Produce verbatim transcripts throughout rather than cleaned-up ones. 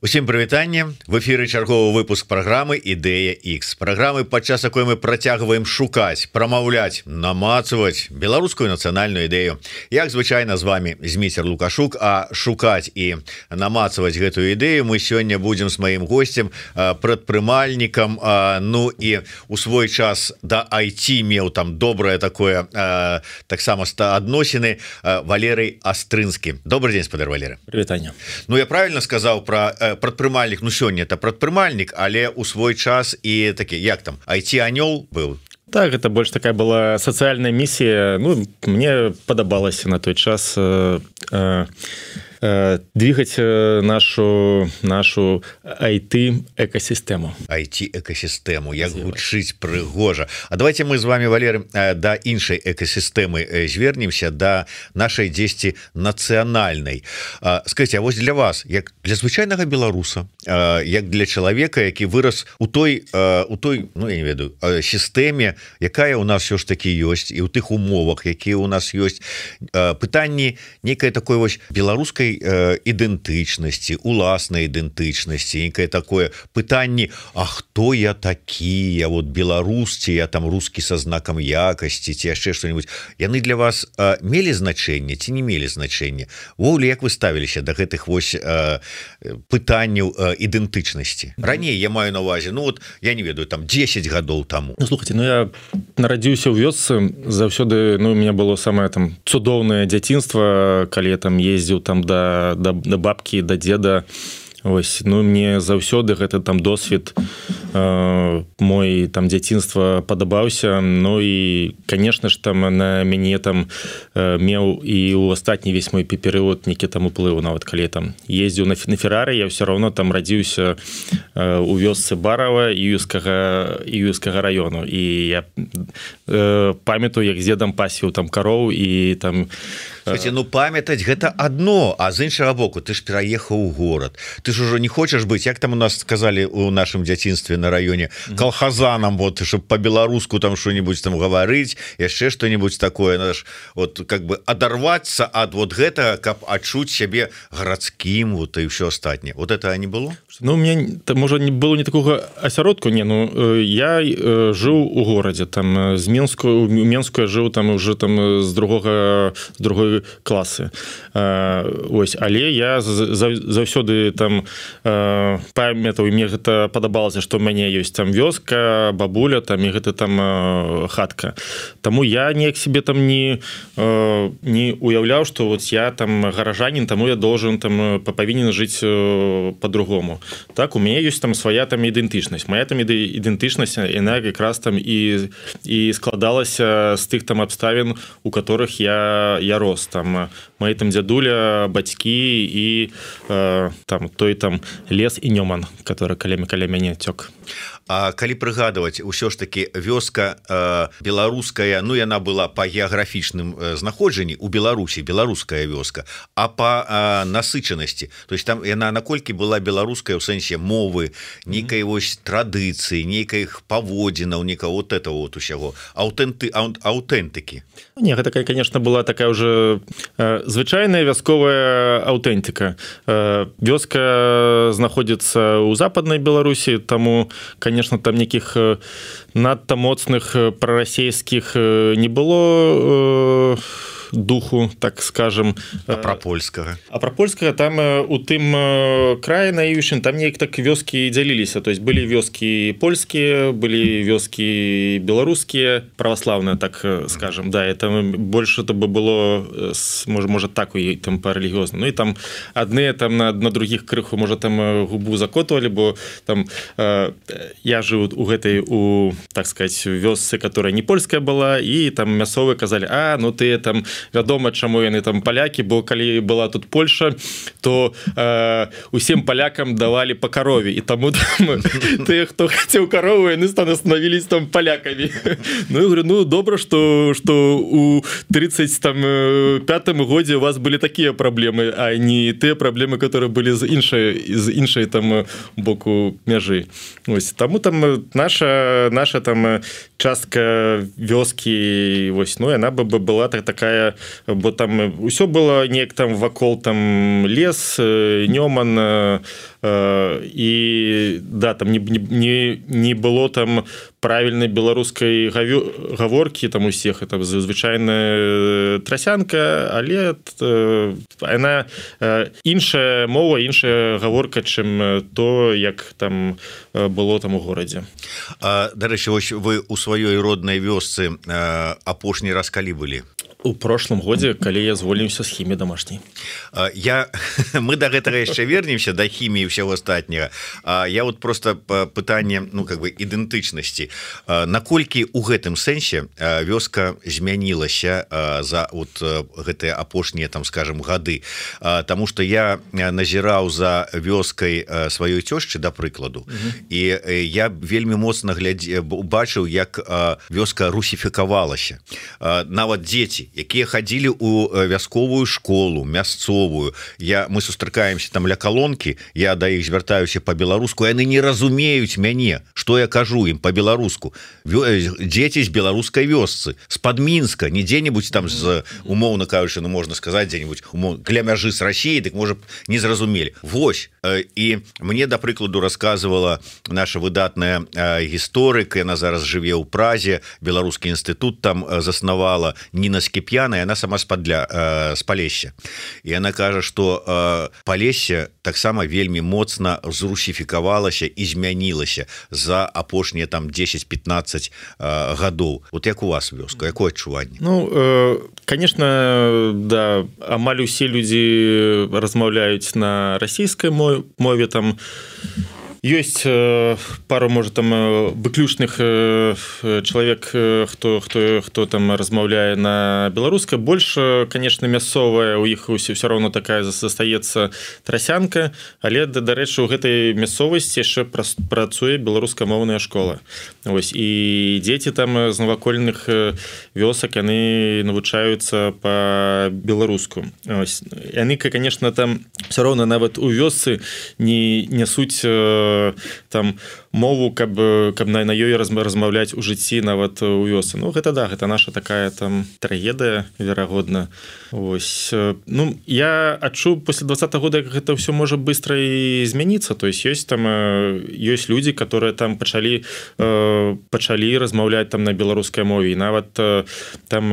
Усім прывітанне, в эфіры чарговы выпуск праграмы Ідэя Х, праграмы, падчас якой мы працягваем шукаць, прамаўляць, намацаваць беларускую нацыянальную ідэю. Як звычайна з вами Зміцер Лукашук, а шукаць і намацаваць гэтую ідэю мы сёння будзем з маім госцем, прадпрымальнікам, ну і у свой час да ай ти меў там добрае такое таксама адносіны Валерый Астрынскі. Добрый день, спадар Валерый. Прывітанне. Ну я правильно сказаў про прадпрымальнік, ну сёння это прадпрымальнік, але у свой час і такі, як там, ай ти-анёл быў? Так, это больше такая была социальная миссия. Ну, мне подобалось на той час э, э, э, двигать нашу, нашу ай ти-экосистему. ай ти-экосистему, як гучыць прыгожа. А давайте мы з вами, Валеры, да іншай экосистемы звернемся, да нашай дзесьці нацыянальнай. Скажите, а вось для вас, як для звычайнага беларуса, як для чалавека, які вырас у той, у той, ну я не ведаю, сістэме, якая у нас все ж таки ёсць, і ў тых умовах, якія у нас ёсць, пытанні некай такой вось беларускай ідэнтычнасці, уласнай ідэнтычнасці, некае такое пытанні, а хто я такі, я вот беларус, ці я там рускі са знакам якасці, ці яшчэ што-нибудь, яны для вас мелі значэнне ці не мелі значэнне? Увогуле, як вы ставіліся да гэтых вось пытанняў ідэнтычнасці? Раней я маю на увазе, ну вот я не ведаю, там дзесяць гадоў таму. Ну слухайте, ну я нарадзіўся ў вёсцы заўсёды, ну у меня было самае там цудоўнае дзяцінства, калі я там ездзіў там да, да, да бабкі, да деда. Ось, ну мне заўсёды гэты там досвед э, мой там дзяцінства падабаўся. Ну і конечно ж там на мяне там э, меў і ў астатні весь мой перыяд нейкі там уплыў. Нават калі там ездзіў на, на Феррары, я ўсё роўно там радзіўся э, у вёсцы Барава Іўскага Іўскага раёну, і я э, памятаю, як з дзедам пасвіў там кароў і там. Слушайте, ну памятаць гэта адно, а з іншага боку ты ж пераехаў у горад, ты ж ужо не хочаш быць, як там у нас сказали у нашым дзяцінстве на раёне, калхазанам, вот, чтоб по-беларуску там что-нибудь там гаварыць, яшчэ что-нибудь такое, надо ж вот как бы адарвацца ад вот гэта, каб адчуць сябе гарадскім, вот і ўсё астатняе. Вот это не было? Ну, у меня, можа, не было не такого асяродку, не, ну, я э, жыў у горадзе, там, з Менску, у Менску я жыў там уже там з другога, з другой класы. Э, ось, але я заўсёды там э, памятаў, і мне гэта падабалася, што ў мяне ёсць там вёска, бабуля, там, і гэта там э, хатка. Таму я неяк себе там не, э, не уяўляў, што вот я там гаражанін, таму я должен там павінен жыць э, по-другому. Так, у мяне ёсць там свая там ідэнтычнасць. Моя там ідэнтычнасць, яна якраз там і, і складалася з тых там абставін, у которых я, я рос. Там мои там дзядуля, бацькі і э, там той там лес і Нёман, который каля, каля мяне цёк. А калі прыгадваць, усё ж таки вёска э, беларуская, ну яна была па геаграфічным э, знаходжанні у Беларусі, беларуская вёска, а па э, насычанасці, то есть там яна наколькі была беларуская ў сэнсе мовы, нейкай вось традыцыі, нейкіх паводзінаў, нейкага вот этого вот усяго, аўтэнты, аўтэнтыкі. Не, гэта, конечно, была такая уже э, звычайная вясковая аўтэнтыка. Э, вёска знаходзіцца ў западнай Беларусі, таму, конечно, там неких надта моцных прарасейскіх не было э, духу, так скажем. А про польскага? А про польскага там у тым краі наіўшым там неяк так вёскі дзяліліся. То есть былі вёскі польскія, былі вёскі беларускія, праваслаўныя, так скажем. Да, это больше это бы было, может, может так у там по релігіозна. Ну і там адныя там на, на других крыху, можа, там губу закотвалі, бо там э, я жыў у гэтай, у, так сказать, вёсцы, которая не польская была, і там мясовыя казалі, а, ну ты там вядома, чаму яны там палякі, бо калі была тут Польша, то э, усім палякам давалі па карове, і таму там, тыя, хто хацеў карову, яны становились там палякамі. Ну, я говорю, ну, добра, што, што у тридцать пятым годзе у вас былі такія праблемы, а не тыя праблемы, которые былі з іншай, з іншай там боку мяжы. Ось, таму там наша, наша там частка вёскі, вось, ну, яна бы была так, такая, бо там усё было неяк там вакол там лес, Нёман, і да там не, не, не было там правільнай беларускай гаворкі там усіх это звычайная трасянка, але яна іншая мова, іншая гаворка, чым то, як там было там у горадзе. Дарэчы, вось вы у сваёй роднай вёсцы апошні раз калі былі? У прошлым годзе, калі я звольніўся з хіміі домашняй. Я мы да гэтага яшчэ вернемся да хіміі ўсяго астатняга. Я вот просто пытанне, ну как бы ідэнтычнасці. Наколькі у гэтым сэнсе вёска змянілася за вот гэтыя апошнія там скажем гады, Таму что я назіраў за вёскай сваёй цёшчы да прыкладу, і я вельмі моцна глядзеў, бачыў, як вёска русіфікавалася. Нават дзеці, якія хадзілі у вясковую школу мясцовую, я мы сустракаемся там ля калонкі, я да іх звяртаюся по-беларуску, яны не разумеюць мяне, што я кажу ім по-беларуску. Дзеці з беларускай вёсцы, з-пад Мінска, не дзе-небудзь там з умоўна кажучы, ну можна сказаць дзе-небудзь каля мяжы з Расіяй, дык можа не зразумелі. Вось, і мне да прыкладу расказвала наша выдатная гісторык, яна зараз жыве ў Празе, беларускі інстытут там заснавала, Ніна Скіп'яна, яна сама з-падля з Палесся, і яна кажа, што Палессе таксама вельмі моцна зрусіфікавалася і змянілася за апошнія там дзесяць-пятнаццаць гадоў. Вот як у вас вёска, якое адчуванне? Ну, э, конечно, да, амаль усе людзі размаўляюць на расійскай мове, там ёсць пару, может, там выключных чалавек, хто хто хто там размаўляе на беларускай. Больш, конечно, мясцовая, у іх усе все равно такая застаецца трасянка, але дарэчы, у гэтай мясцовасці яшчэ працуе беларускамоўная школа. Ось, і дзеці там з навакольных вёсак, яны навучаюцца по-беларуску. Ось, яны, конечно, там все равно нават у вёсцы не нясуць там мову, каб каб на на ёй размаўляць у жыцці нават у вёсы. Ну гэта да, гэта наша такая там трагедыя, верагодна. Ось, ну я адчуў пасля двадцатого года, як гэта ўсё можа быстро і змяніцца. То есть ёсць там ёсць людзі, которые там пачалі пачалі размаўляць там на беларускай мове, і нават там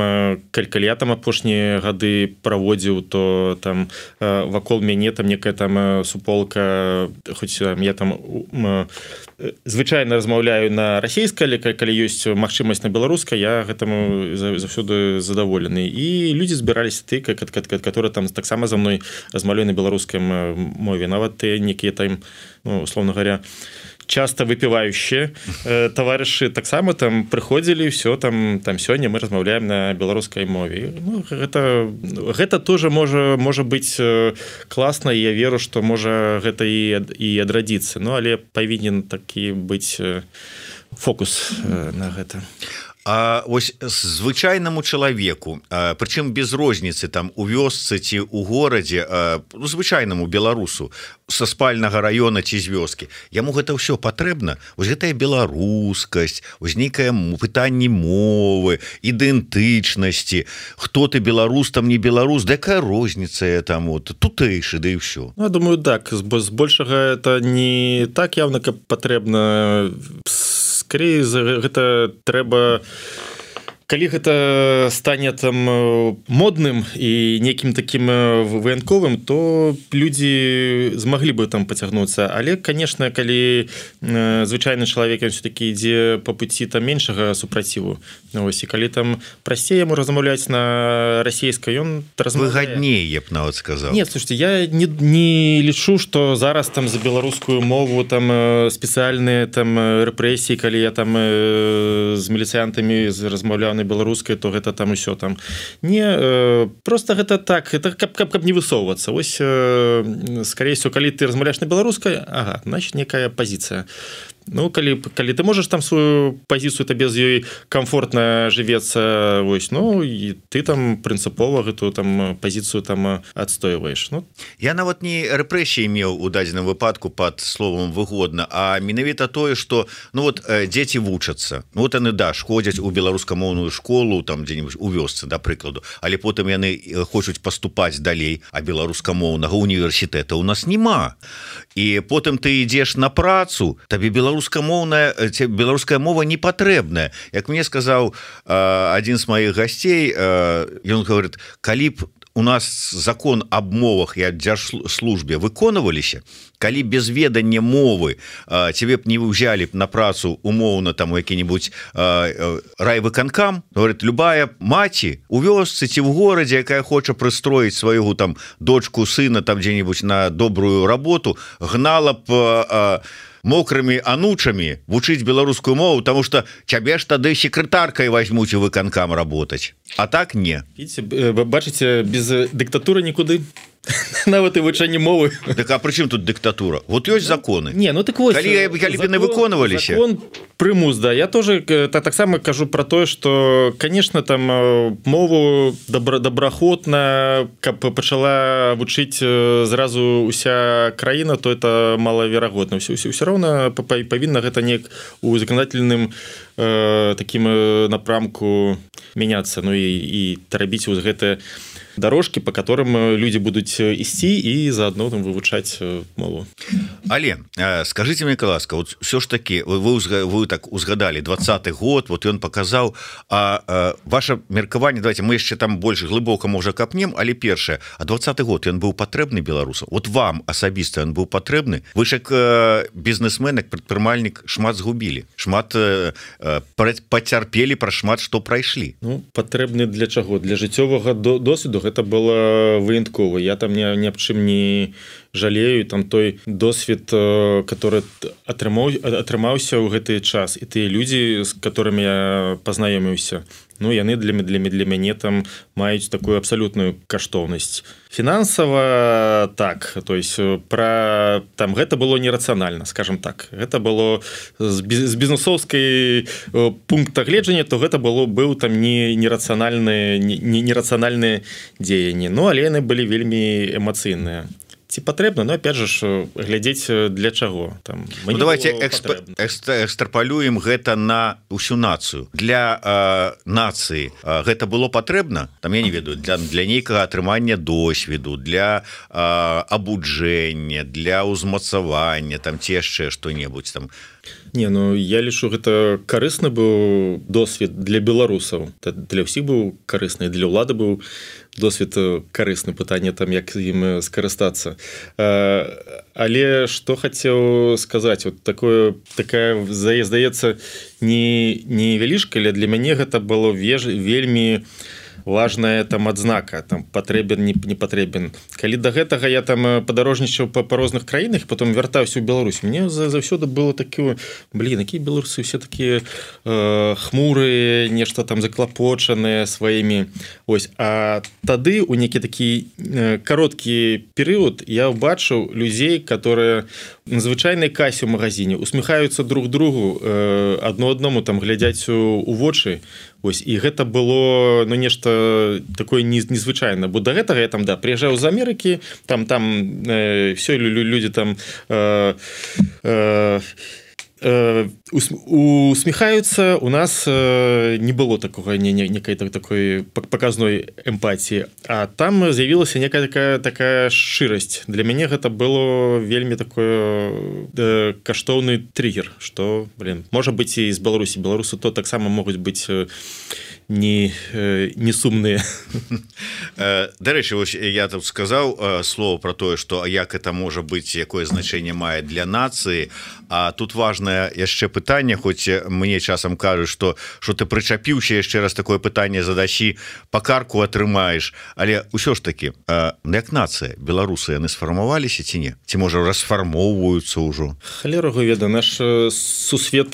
калі я там апошнія гады праводзіў, то там вакол мяне там некая там суполка, хоць я там звычайна размаўляю на расійскай, але калі ёсць магчымасць на беларускай, я гэтаму заўсёды задаволены. І людзі збіраліся ты, которые там таксама за мной размаўляю на беларускай мове. Нават ты некія там, ну, условно говоря, часто выпівающие э, товарищи таксама там прыходзілі, все там там сёння мы размаўляем на беларускай мове. Ну, гэта гэта тоже можа можа быць класна, і я веру, што можа гэта і і адрадзіцца. Ну але павінен такі быць фокус э, на гэта. А ось звычайнаму чалавеку, прычым без розніцы там у вёсцы ці у горадзе, ну, звычайнаму беларусу са спальнага раёна ці з вёскі, яму гэта ўсё патрэбна. Вось гэтая беларускасць, вось нейкае пытанне мовы, ідэнтычнасці, хто ты беларус, там не беларус, да якая розніца там вот тутэйшы, да і ўсё. Ну, я думаю, так, збольшага это не так явно, каб патрэбна. Скорее гэта трэба, калі гэта стане там модным і нейкім таким выянковым, то людзі змаглі бы там пацягнуцца. Але, конечно, калі звычайны чалавек все-таки ідзе по пуці там меншага супраціву, ось, і калі там прасцей яму размаўляць на расійскай, ён выгадней, я б нават сказаў. Нет, слушайте, я не, не лічу, што зараз там за беларускую мову там спецыяльныя там рэпрэсіі, калі я там з міліцыянтамі размаўляў на беларускай, то гэта там усё там не э, просто гэта так, это каб, каб, каб не высоўвацца. Ось э, скорее всего, калі ты размаўляеш на беларускай, ага, значит некая пазіцыя. Ну калі калі ты можаш там сваю пазіцыю, табе з ёй комфортна жывецца, вось, ну і ты там прынцыпова гэтую там пазіцыю там адстойваеш. Ну я нават не рэпрэсіі меў у дадзеным выпадку пад словом выгодна, а менавіта тое, што ну вот дзеці вучацца, ну вот яны да ходзяць у беларускамоўную школу там дзе-нибудь у вёсцы, да прыкладу, але потым яны хочуць паступаць далей, а беларускамоўнага універсітэта у нас няма. І потым ты ідзеш на працу, табе беларускамоўная беларуская мова не патрэбная. Як мне сказаў адзін з маіх гасцей, ён говорит, калі б у нас закон аб мовах і аб дзяржслужбе выконваліся, калі без ведання мовы цябе б не ўзялі б на працу умоўна там які-нибудь райвыканкам, говорит, любая маці у вёсцы ці в горадзе, якая хоча прыстроіць свайго там дочку, сына там дзе-нибудь на добрую работу, гнала б мокрымі анучамі вучыць беларускую мову, потому что цябе ж тады секретаркай возьмуць у выканкам работать, а так не. Видите, бачыце, без дыктатуры нікуды. Нават і вывучэнне мовы. Так а прычым тут дыктатура? Вот ёсць законы. Не, ну так вось, калі яны выконваліся. Закон прымус, да. Я тоже так таксама кажу про тое, что, конечно, там мову добра, добраахвотна, каб пачала вучыць зразу уся краіна, то это малаверагодна. Все, все, все роўна павінна гэта неяк у законодательным э, таким напрамку мяняцца, ну і, і рабіць вось гэтае дорожки, по которым люди будут ісці и заодно там вывучаць мову. Але скажите мне, ласка, вот все ж таки вы, вы, вы так узгадали двадцаты год, вот ён показал, а, а ваше меркаванне, давайте мы яшчэ там больше глыбока можа капнем, але першае, а двадцаты год ён быў патрэбны беларусам? Вот вам асабіста ён быў патрэбны? Вы ж як бізнесмен, як прадпрымальнік шмат згубілі, шмат пацярпелі, пра шмат што прайшлі. Ну, патрэбны для чаго? Для жыццёвага досведу. Это было выянкова. Я там ни, ни об чым не жалею. Там той досвед, который атрымаў, атрымаўся ў гэты час. І тыя людзі, з которыми я пазнаёміўся, ну, яны для, для, для мяне там маюць такую абсалютную каштоўнасць. Фінансава так, то есть про там гэта было нерацыянальна, скажем так. Гэта было з, з бізнесоўскай пункта гледжання, то гэта было быў там не нерацыянальныя не нерацыянальныя дзеянні. Ну, але яны былі вельмі эмацыйныя. Ці патрэбна, но опять же глядзець для чаго там. Ну, давайте эксп... экстрапалюем гэта на усю нацыю. Для э, нацыі э, гэта было патрэбна, там я не ведаю, для, для нейкага атрымання досведу, для э, абуджэння, для ўзмацавання, там ці яшчэ што-небудзь там. Не, ну я лічу, гэта карысны быў досвед для беларусаў. Для ўсіх быў карысны, для ўлады быў досвед карысны, пытанне там, як ім скарыстацца. Але што хацеў сказаць, вот такое, такая, здаецца, не, не велічка, але для мяне гэта было веж, вельмі важная там адзнака, там патрэбен, не, не патрэбен. Калі да гэтага я там падарожнічаў па, па розных краінах, потом вяртаўся ў Беларусь, мне заўсёды было такое, блин, якія беларусы все такія э, хмурыя, нешта там заклапочаныя сваімі. Ось, а тады у нейкі такі э, кароткі перыяд я ўбачыў людзей, которые на звычайнай касе ў магазине усміхаюцца друг другу, э, адно аднаму там глядзяць у, у вочы. Ось, і гэта было, ну, нешта такое незвычайна, бо да гэтага я там, да, прыязджаў з Амерыкі, там там э, все людзі там э, э, э, усміхаюцца. У нас э, не было такого не, не, некай такой паказной эмпатіі, а там з'явілася некая такая такая шчырасць. Для мяне гэта было вельмі такое э, каштоўны триггер, что, блин, можа быць і з Беларусі. Беларусы то таксама могуць быць э, не, э, не сумныя. Дарэчы, я тут сказаў слово про тое, што як это можа быць, якое значэнне мае для нацыі, а тут важнае яшчэ пытанне, хоць мне часам кажуць, што што ты прычапіўся, яшчэ раз такое пытанне задасі, па карку атрымаеш, але ўсё ж таки, як нацыя, беларусы яны сфармаваліся ці не? Ці можа расфармоўваюцца ўжо? Халерага веда, наш сусвет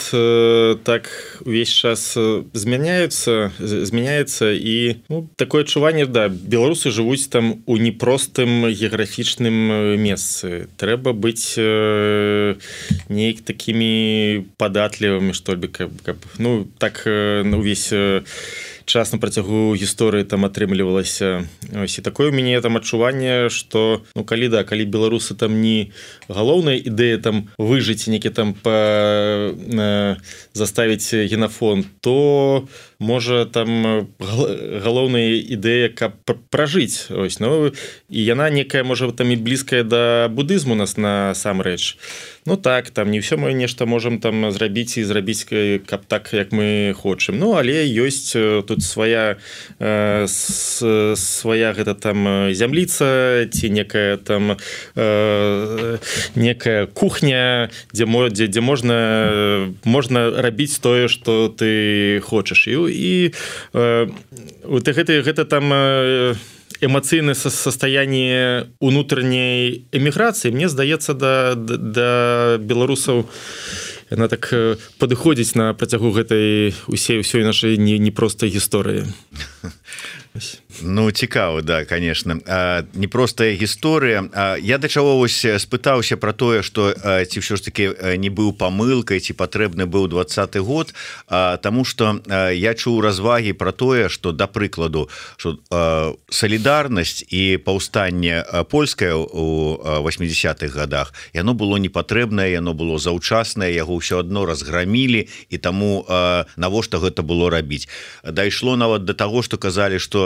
так увесь час змяняецца, змяняецца і ну, такое адчуванне да беларусы жывуць там у непростым геаграфічным месцы трэба быць э, неяк такімі падатлівымі што ли каб, каб ну так э, увесь э, час на працягу гісторыі там атрымлівалася ось і такое у мяне там адчуванне что ну калі да калі беларусы там не галоўная ідэя там выжыць некі там па э, заставіць генафон то можа там галоўная ідэя каб пражыць ось ну і яна некая можа там і блізкая да будызму нас насамрэч ну так там не ўсё мы нешта можам там зрабіць і зрабіць каб так як мы хочам ну але ёсць тут свая э, с, свая гэта там зямліца ці некая там э, некая кухня дзе дзе, дзе можна можна рабіць тое што ты хочаш і і э, вот гэта гэта там э, эмоцыйнае состояние унутранняй эміграцыі мне здаецца да, да, да беларусаў яна так падыходзіць на працягу гэтай усей усёй нашай не, непростай гісторыі Ну цікава да конечно непростая гісторыя я да чаго вось спытаўся про тое что ці ўсё ж таки не быў памылкай ці патрэбны быў двадцаты год тому что я чуў развагі про тое что да прыкладу что салідарнасць і паўстанне польскае у восьмидесятых годах яно было непатрэбнае яно было заўчаснае яго ўсё адно разграмілі і таму навошта гэта было рабіць дайшло нават до того что казалі что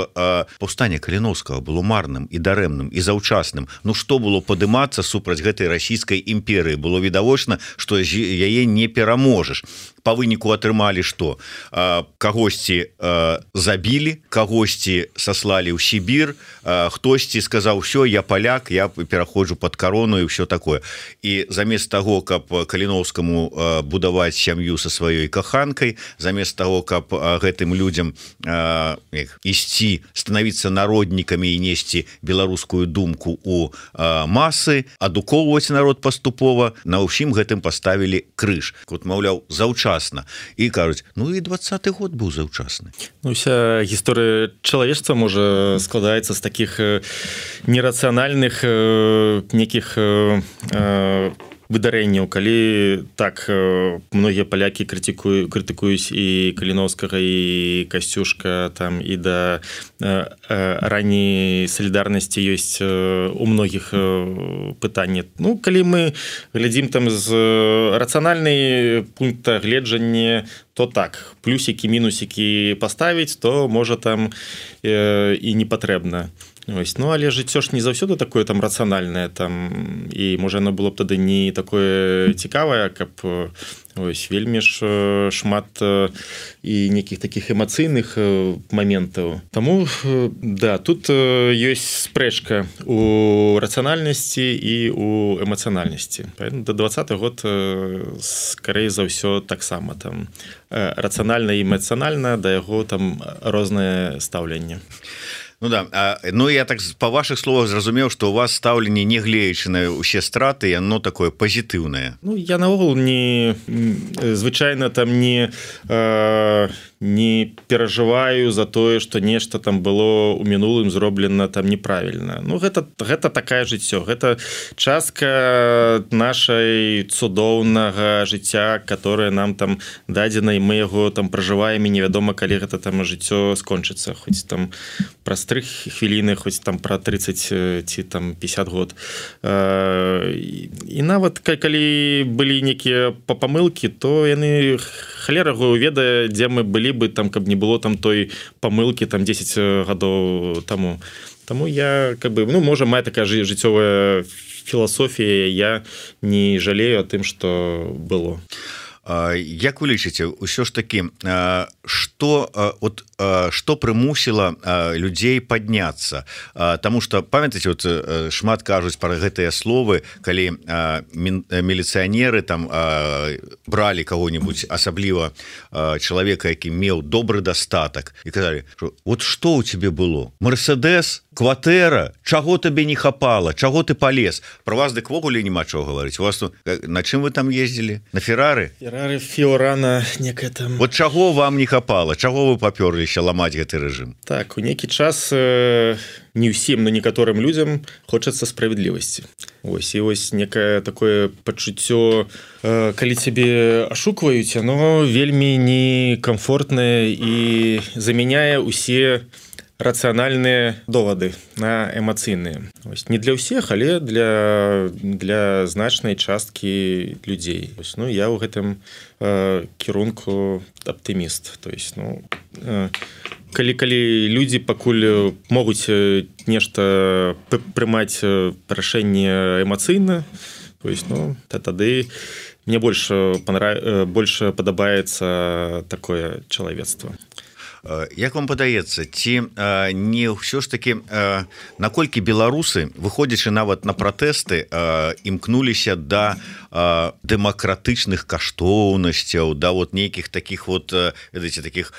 паўстанне Каліновскага было марным і дарэмным і заўчасным Ну што было падымацца супраць гэтай расійскай імперыі было відавочна што яе не пераможаш по выніку атрымалі што кагосьці забілі кагосьці саслалі ў Сібір хтосьці сказаў все я паляк я пераходжу под карону і ўсё такое і замест таго каб Каліновскаму будаваць сям'ю са сваёй каханкай замест таго каб гэтым людзям ісці становіцца народнікамі і несці беларускую думку у масы адукоўваць народ паступова на ўсім гэтым паставілі крыж вот маўляў заўчасна і кажуць ну і двадцаты год быў заўчасны ну, вся гісторыя чалавецтва можа складаецца з таких нерацыянальных некіх выдарэнняў калі так многія палякі крытыкую крытыкуюць і Каліновскага і Касцюшка там і да ранняй салідарнасці ёсць у многіх пытанні ну калі мы глядзім там з рацыянальнай пункта гледжання то так плюсікі мінусікі паставіць то можа там і не патрэбна Ось, ну але жыццё ж не заўсёды такое там рацыянальнае там і можа оно было б тады не такое цікавае каб ось вельмі ж шмат і нейкіх таких эмацыйных моментаў Таму да тут ёсць спрэчка у рацыянальнасці і у эмацыянальнасці да двадцаты год скорей за ўсё таксама там рацыянальна і эмацыянальна да яго там рознае стаўленне Ну да а, ну я так по ваших словах зразумеў что у вас стаўленне не глеючы на усе страты яно такое пазітыўнае Ну я наогул не звычайна там не э, не перажываю за тое что нешта там было у мінулым зроблена там неправільна Ну гэта гэта такая жыццё гэта частка нашай цудоўнага жыцця которое нам там дадзена і мы яго там пражываем і невядома калі гэта там жыццё скончыцца хоць там праз тры хвіліны хоць там пра тридцать ці там пятьдесят год і нават калі былі некія памылкі то яны халера яго ведае дзе мы былі бы там каб не было там той памылкі там десять гадоў таму Таму я как бы ну можа мая такая жыццёвая філасофія я не жалею о тым что было Як вы лічыце ўсё ж таки что вот что прымусіла людзей падняцца Таму что памятаеце вот шмат кажуць про гэтыя словы калі міліцыянеры там бралі кого-нибудь асабліва чалавека які меў добры дастатак і казалі вот что у тебе было Мерседес кватэра, чаго табе не хапала, чаго ты полез? Про вас дык ввогуле няма чаго гаварыць. У вас на чым вы там ездзілі? На Феррары? Феррары, Фіорана, некая там. Вот чаго вам не хапала? Чаго вы папёрліся ламаць гэты рэжым? Так, у некі час э, не ўсім, но некаторым людзям хочацца справядлівасці. Ось, і ось некае такое пачуццё, э, калі цябе ашукваюць, оно вельмі некамфортнае і замяняе усе рацыянальныя довады на эмацыйныя. Ось, не для ўсіх, але для, для значнай часткі людзей. Ось, ну, я ў гэтым э, кірунку аптыміст. То есть, ну, э, калі, калі людзі пакуль могуць нешта прымаць рашэнне эмацыйна, то есть, ну, тады мне больш, понрав... больш падабаецца такое чалавецтва. Як вам падаецца, ці не ўсё ж таки, наколькі беларусы, выходзячы нават на пратэсты, імкнуліся да дэмакратычных каштоўнасцяў, да вот нейкіх таких вот, ведаеце, таких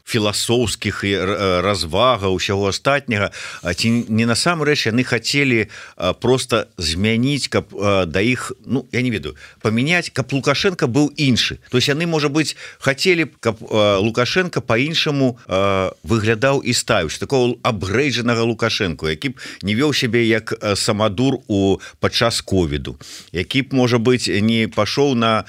філасофскіх развагаў, усяго астатняга, ці не насамрэч яны хацелі просто змяніць, каб да іх, ну, я не ведаю, памяняць, каб Лукашенко быў іншы. То есть яны, можа быць, хацелі, каб Лукашенко па-іншаму выглядаў і ставіўся, такого абгрэйджанага Лукашенко, які б не вёў сябе як самадур у падчас ковіду, які б, можа быць, не пашоў на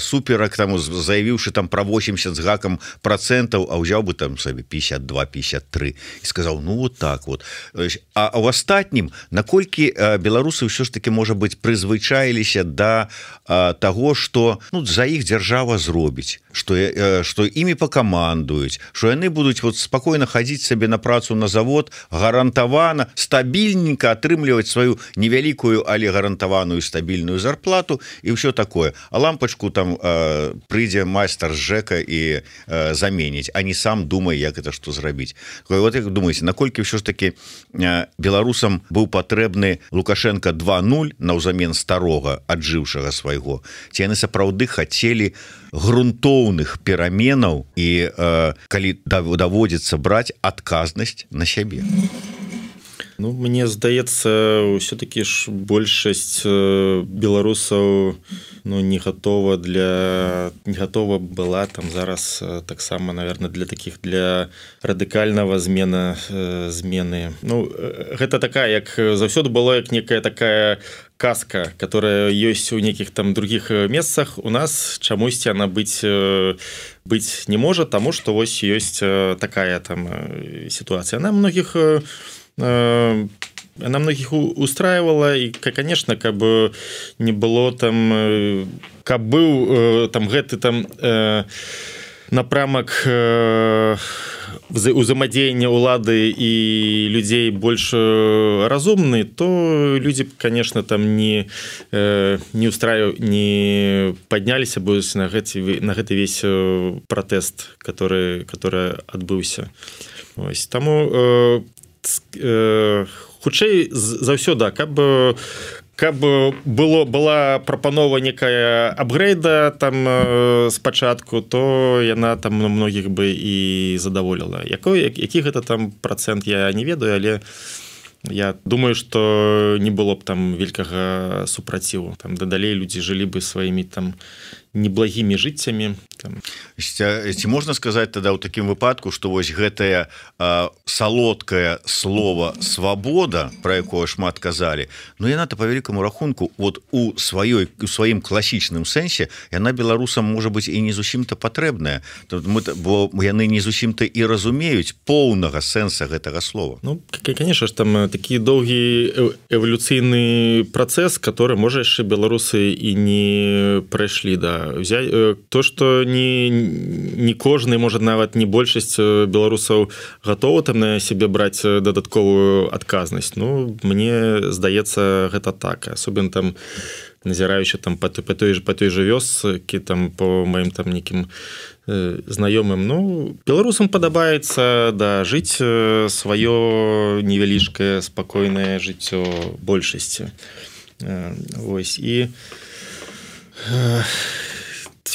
суперак, там, заявіўшы там пра восемьдесят з гакам процентаў, а ўзяў бы там сабе пятьдесят два пятьдесят три і сказаў, ну вот так вот. А ў астатнім, наколькі беларусы ўсё ж таки, можа быць, прызвычаіліся да таго, што, ну, за іх дзяржава зробіць, што, што імі пакамандуюць, што яны будуць вот спакойна хадзіць сабе на працу на завод, гарантавана, стабільненька атрымліваць сваю невялікую, але гарантаваную стабільную зарплату і ўсё такое. А лампачку там э, прыйдзе майстар з ЖЭКа і э, заменіць, а не сам думае, як это што зрабіць. Вот як думаеце, наколькі ўсё ж таки э, беларусам быў патрэбны Лукашенко два нуль наўзамен старога, аджыўшага свайго? Ці яны сапраўды хацелі грунтоўных пераменаў і э, калі даводзіцца браць адказнасць на сябе? Ну, мне здаецца, ўсё-таки ж большасць беларусаў, ну, не готова для не готова была там зараз таксама, наверное, для таких для радыкальнага змена змены. Ну, гэта такая, як заўсёды было, як некая такая казка, которая ёсць у нейкіх там других месцах. У нас чамусьці она быць быць не можа, таму што вось ёсць такая там сітуацыя. Она многіх она многих устраивала, и, конечно, как бы не было там, как был там гэты там напрамак узаемадзеяння улады і людзей больш разумны, то люди, конечно, там не не устраив не подняліся бы на гэты на гэты весь пратэст, который который адбыўся. Ось таму хутчэй заўсёды, каб каб было была прапанова некая апгрейда там спачатку, то яна там многіх бы і задаволіла. Якой які гэта там процент, я не ведаю, але я думаю, што не было б там вялікага супраціву. Там дадалей людзі жылі бы сваімі там неблагімі жыццямі. Ці можна сказаць тада ў такім выпадку, што вось гэтае салодкае слова свабода, пра якое шмат казалі, ну яна-то па вялікаму рахунку вот у сваёй у сваім класічным сэнсе яна беларусам можа быць і не зусім-то патрэбная, бо яны не зусім-то і разумеюць поўнага сэнса гэтага слова. Ну, конечно ж, там такі доўгі эвалюцыйны працэс, который можа яшчэ беларусы і не прайшлі, да. То, што не, не кожны, можа нават не большасць беларусаў гатова там на сябе браць дадатковую адказнасць. Ну, мне здаецца, гэта так. Асобен там назіраючы там па, па той па той жа вёскі, там по маім там нейкім э, знаёмым. Ну, беларусам падабаецца, да, жыць сваё невялічкае спакойнае жыццё большасці. Э, вось і э,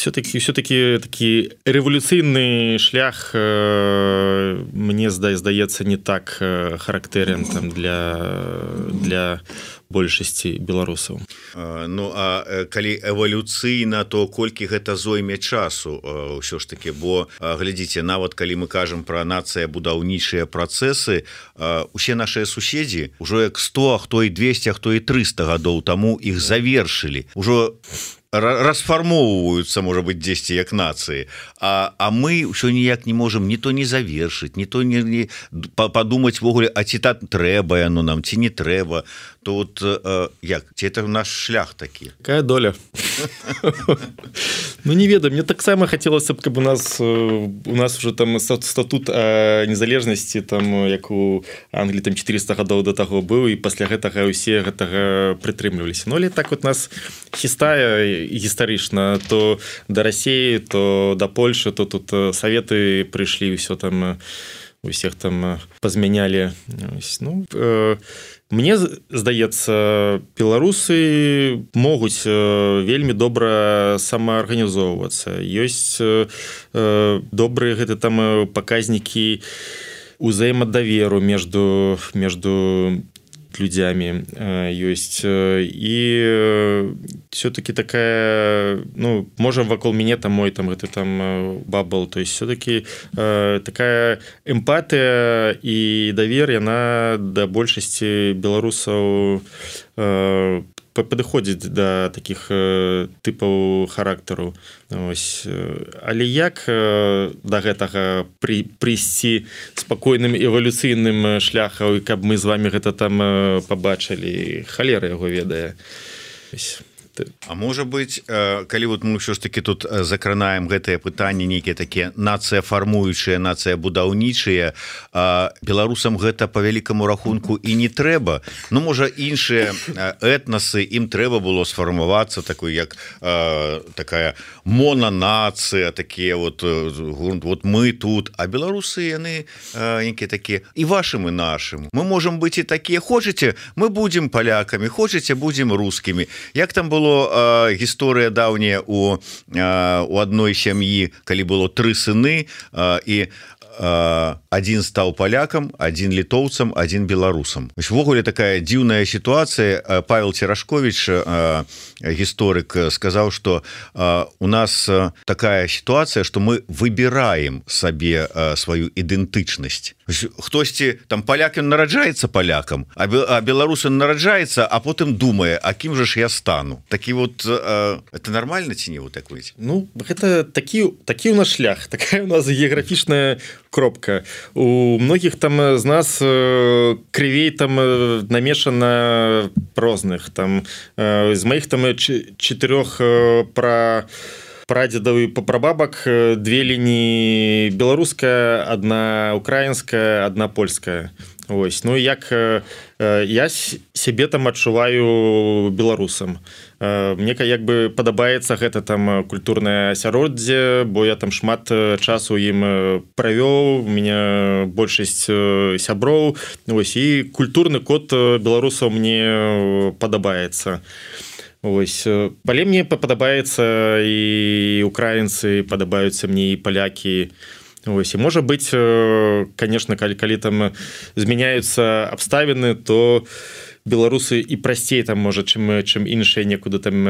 все-таки все-таки такі рэвалюцыйны шлях э, мне зда здаецца не так э, характэрен там для для большасці беларусаў. Ну а калі эвалюцыйна, то колькі гэта зойме часу ўсё ж таки, бо глядзіце, нават калі мы кажам пра нацыя будаўнічыя працэсы, усе нашыя суседзі ўжо як сто, а хто і двесце, а хто і трыста гадоў таму іх завершылі, ужо расфармоўваюцца, можа быть, дзесьці як нацыі, а, а мы ўсё ніяк не можам ні то не завершыць, ні то не, не падумаць ввогуле, а ці так трэба яно нам, ці не трэба, то вот э, як, ці это наш шлях такі? Какая доля? Ну не ведаю, мне таксама хацелася б, каб у нас у нас уже там статут незалежнасці, там як у Англіі там четыреста гадоў да таго быў, і пасля гэтага ўсе гэтага прытрымліваліся. Ну але так вот нас хістае гістарычна, то да Расіі, то да Польшы, то тут саветы прыйшлі, ўсё там усіх там пазмянялі. Ну, э, мне здаецца, беларусы могуць вельмі добра самаарганізоўвацца. Ёсць э, добрыя гэты там паказнікі узаемадаверу между между людзямі ёсць, і все-таки такая, ну, можа вакол мяне там мой там гэты там бабл, то есть все-таки такая эмпатыя і давер, яна да большасці беларусаў падыходзіць да такіх тыпаў характару. Ось. Але як да гэтага пры, прыйсці спакойным эвалюцыйным шляхам, каб мы з вами гэта там пабачылі, халера яго ведае. Ось. А можа быть, калі вот мы ўсё ж таки тут закранаем гэтае пытанне, нейкія такія нацыя фармуючыя, нацыя будаўнічыя, беларусам гэта по вялікаму рахунку і не трэба. Ну можа іншыя этнасы, ім трэба было сфармавацца такой як э, такая монанацыя, такія вот, вот мы тут, а беларусы яны э, нейкія такія і вашым і нашым. Мы можам быць і такія, хочаце, мы будзем палякамі, хочаце, будзем рускімі. Як там было э, гісторыя даўняя у, э, у адной сям'і, калі было тры сыны, э, і один стаў палякам, один літоўцам, один беларусам. Ввогуле такая дзіўная сітуацыя. Павел Церашкович, гісторык, сказаў, што у нас такая сітуацыя, што мы выбіраем сабе сваю ідэнтычнасць. Хтосьці там паляк ён нараджаецца палякам, а беларус ён нараджаецца, а потым думае, а кім жа ж я стану. Такі вот это нормально ці не вот так выйдзе? Ну гэта такі такі у нас шлях, такая у нас геаграфічная кропка. У многіх там з нас крывей там намешана розных там з маіх там чатырох пра прадзедаў і папрабабак две лініі беларуская, адна украінская, адна польская. Ось. Ну як я сябе там адчуваю беларусам. Мне як бы падабаецца гэта там культурнае асяроддзе, бо я там шмат часу ім правёў, у меня большасць сяброў. Ось. І культурны код беларусаў мне падабаецца. Ось. Але мне падабаецца і украінцы, падабаюцца мне і палякі. Ось. І можа быць, конечно, калі, калі там змяняюцца абставіны, то беларусы і прасцей там можа, чым, чым іншыя некуды там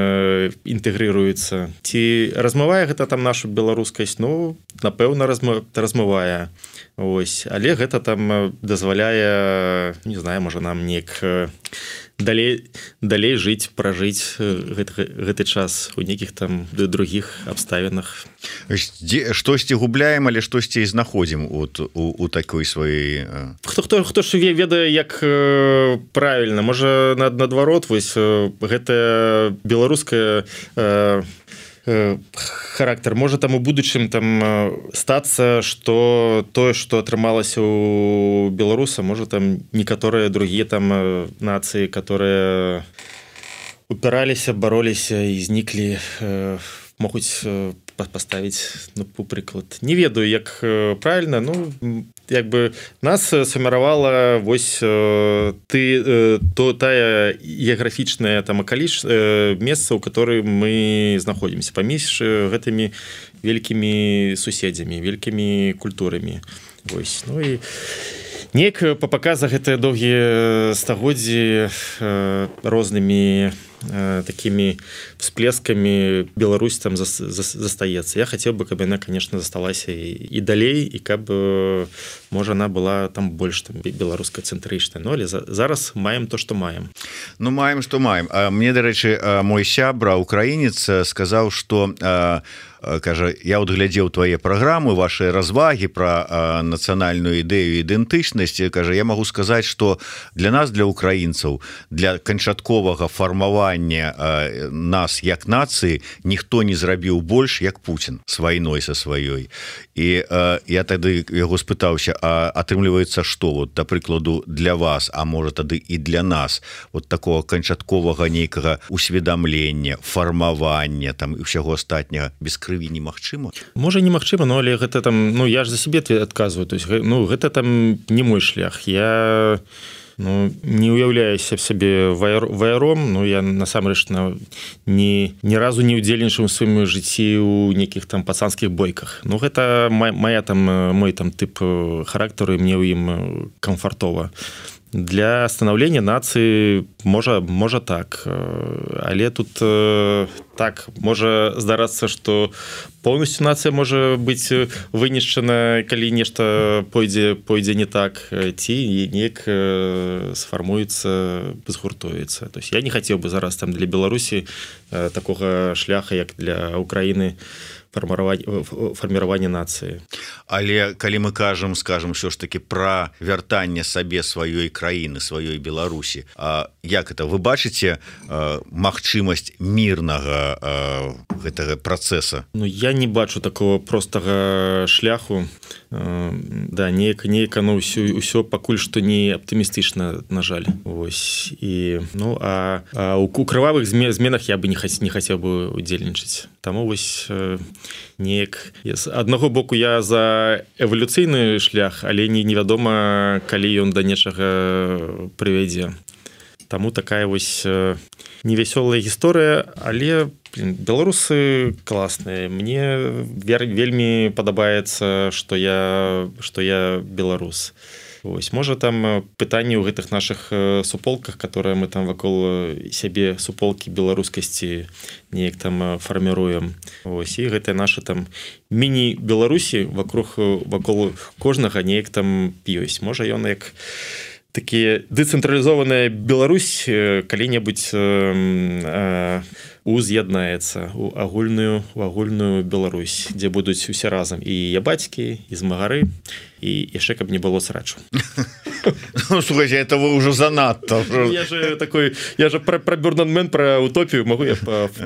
інтэгрыруюцца. Ці размывае гэта там нашу беларускасць? Ну, напэўна, размывае. Ось. Але гэта там дазваляе, не знаю, можа нам неяк далей, далей жыць, пражыць гэты, гэты час у нейкіх там другіх абставінах. Штосьці губляем, але штосьці і знаходзім от, у, у такой сваёй... Хто, хто, хто ж ведае, як правільна? Можа, наадварот, вось гэтая беларуская характар можа там у будучым там стацца, што тое, што атрымалася у беларуса, можа там некаторыя другія там нацыі, которые упіраліся, бароліся і зніклі, могуць паставіць, ну, прыклад. Не ведаю, як правільна, ну, як бы нас сфарміравала вось ты то тая геаграфічная там акаліч месца, у которой мы знаходзімся паміж гэтымі вялікімі суседзямі, вялікімі культурамі. Вось, ну і неяк па паказах гэтыя доўгія стагоддзі рознымі такими всплесками Беларусь там застаецца. Я хотел бы, каб яна, конечно, засталася і далей, і каб можа она была там больш там беларускацэнтрычная. Но але зараз маем то, што маем. Ну маем, што маем. Мне, дарэчы, мой сябра украінец сказаў, што кажа, я вот глядзеў твае праграмы, ваши развагі про нацыянальную ідэю ідэнтычнасць, кажа, я могу сказаць, что для нас, для украінцаў, для канчатковага фармавання нас як нацыі ніхто не зрабіў больш як Путін с вайной са сваёй. І я тады яго спытаўся, а атрымліваецца што, вот да прыкладу для вас, а можа тады і для нас, вот такого канчатковага нейкага усведамлення, фармавання там і ўсяго астатняга без крыві немагчыма? Можа немагчыма, но але гэта там, ну я ж за сябе адказваю, то есть ну гэта там не мой шлях. Я ну, не уяўляюся в сябе ваяром, ну я насамрэч на, ні, ні разу не удзельнічаў у сваім жыцці ў нейкіх там пацанскіх бойках. Ну гэта моя там мой там тып характару, і мне ў ім камфартова. Для становлення нацыі можа можа так, але тут так можа здарацца, што поўнасцю нацыя можа быць вынішчана, калі нешта пойдзе пойдзе не так, ці неяк сфармуецца, згуртуецца. То есть я не хацеў бы зараз там для Беларусі такога шляха, як для Украіны, фарміравання нацыі. Але калі мы кажам, скажем, ўсё ж таки пра вяртанне сабе сваёй краіны, сваёй Беларусі, а як это вы бачыце магчымасць мірнага гэтага працэса? Ну я не бачу такого простага шляху. Да, неяк неяк ну ўсё ўсё пакуль што не аптымістычна, на жаль. Вось і ну а, а у крывавых зменах я бы не хацеў не хацеў бы удзельнічаць. Таму вось неяк з аднаго боку я за эвалюцыйны шлях, але не невядома, калі ён да нечага прывядзе. Таму такая вось невясёлая гісторыя, але блин, беларусы класныя. Мне вельмі падабаецца, што я што я беларус. Ось, можа там пытанні ў гэтых наших суполках, которые мы там вакол сябе суполкі беларускасці неяк там фарміруем. Ось, і гэтыя наши там міні-беларусі вокруг вакол кожнага неяк там ёсць. Можа ён як такі дэцэнтралізованая Беларусь калі-небудзь э, уз'яднаецца у агульную у агульную Беларусь, дзе будуць усе разам і ябацькі, і змагары, і яшчэ каб не было срачу. Ну, слушайте, это вы уже занадто. Я же такой, я же про, про Бёрнанмен, про утопию могу я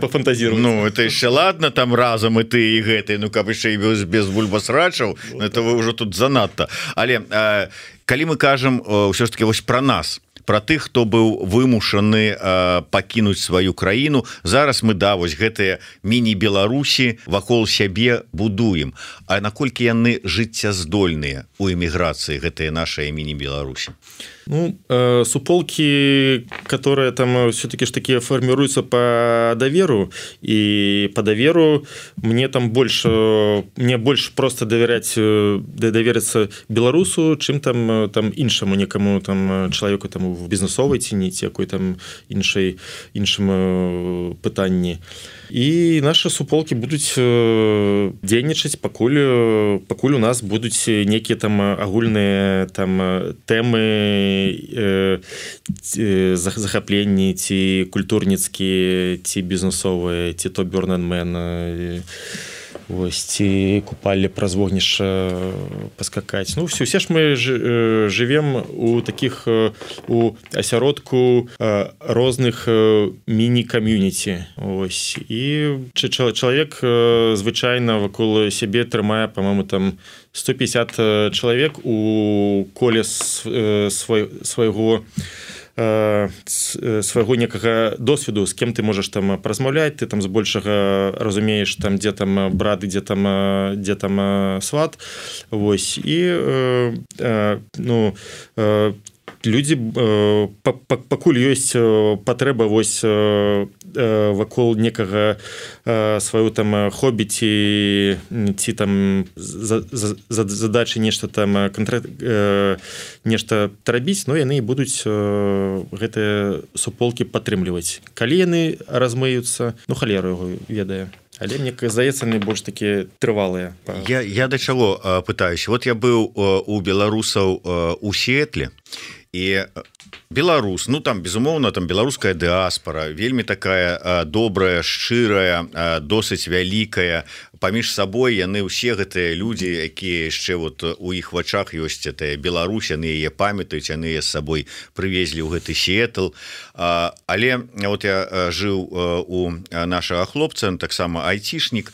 пофантазировать. Ну, это еще ладно, там разом и ты, и гэты, ну, как еще и без, без бульбасрачаў, вот, это вы уже тут занадто. Але, э, калі мы кажем все ж таки вось про нас, про тых, хто быў вымушаны э, пакінуць сваю краіну, зараз мы да вось гэтыя міні-беларусі вакол сябе будуем. А наколькі яны жыццяздольныя у эміграцыі, гэтыя нашыя міні-беларусі? Ну, э, суполки, которые там все-таки ж такие формируются по доверу, и по доверу мне там больше, мне больше просто доверять, довериться белорусу, чем там, там іншому некому там человеку там в бізнесовой ціні, якой там іншай, іншым пытанні. І наши суполки будуць дзейнічаць, пакуль, пакуль у нас будуць некія там агульныя там тэмы, захапленні, ці культурніцкія, ці бізнесовыя, ці то Бёрнанмен, ось, ці купалі праз вогнішча паскакаць. Ну, все, все ж мы жывем у таких, у асяродку розных міні-кам'юніці. Ось. І чалавек звычайна вакол сябе трымае, па-моему, там сто пятьдесят чалавек у коле свайго э, свайго некага досведу, з кем ты можаш там празмаўляць, ты там збольшага разумееш там дзе там брат і дзе там дзе там сват. Вось і э, э, ну э, людзі э, пакуль ёсць патрэба вось э, вакол некага э, сваю там хобі ці ці там за, за, задачы нешта там контракт э, нешта рабіць, но яны будуць э, гэтыя суполкі падтрымліваць. Калі яны размыюцца, ну халеру яго ведае. Але мне здаецца, они больш такі трывалыя. Я, я да чаго пытаюсь. Вот я быў у беларусаў у Сіэтле, і беларус, ну там безумоўна там беларуская дыаспора вельмі такая добрая, шчырая, досыць вялікая. Паміж сабой яны ўсе гэтыя людзі, якія яшчэ вот у іх вачах ёсць этая Беларусь, яны яе памятаюць, яны з сабой прывезлі ў гэты Сіэтл. Але вот я жыў у нашага хлопца, таксама айцішнік,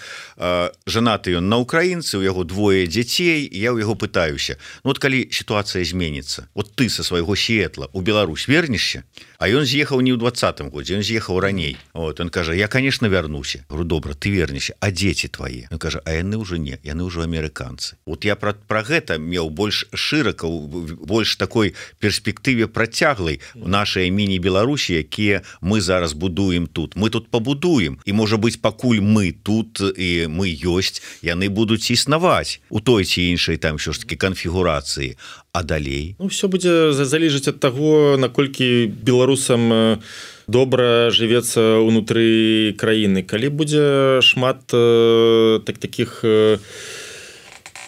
жанаты ён на украінцы, у яго двое дзяцей, я ў яго пытаюся: ну вот калі сітуацыя зменіцца, вот ты са свайго Сіэтла у Беларусь вернешся? А ён з'ехаў не ў двадцатым годзе, ён з'ехаў раней. Вот он кажа: я, конечно, вярнуся. Говорю: добра, ты вернешся, а дзеці твае? Он кажа: а яны ўжо не, яны ўжо амерыканцы. Вот я пра, пра гэта меў больш шырака, больш такой перспектыве працяглай у нашай міні-Беларусі, якія мы зараз будуем тут. Мы тут пабудуем, і можа быць, пакуль мы тут і мы ёсць, яны будуць існаваць у той ці іншай там ўсё ж такі канфігурацыі. А далей? Ну, все будзе залежаць ад таго, наколькі беларусам добра жывецца ўнутры краіны. Калі будзе шмат э, так таких э,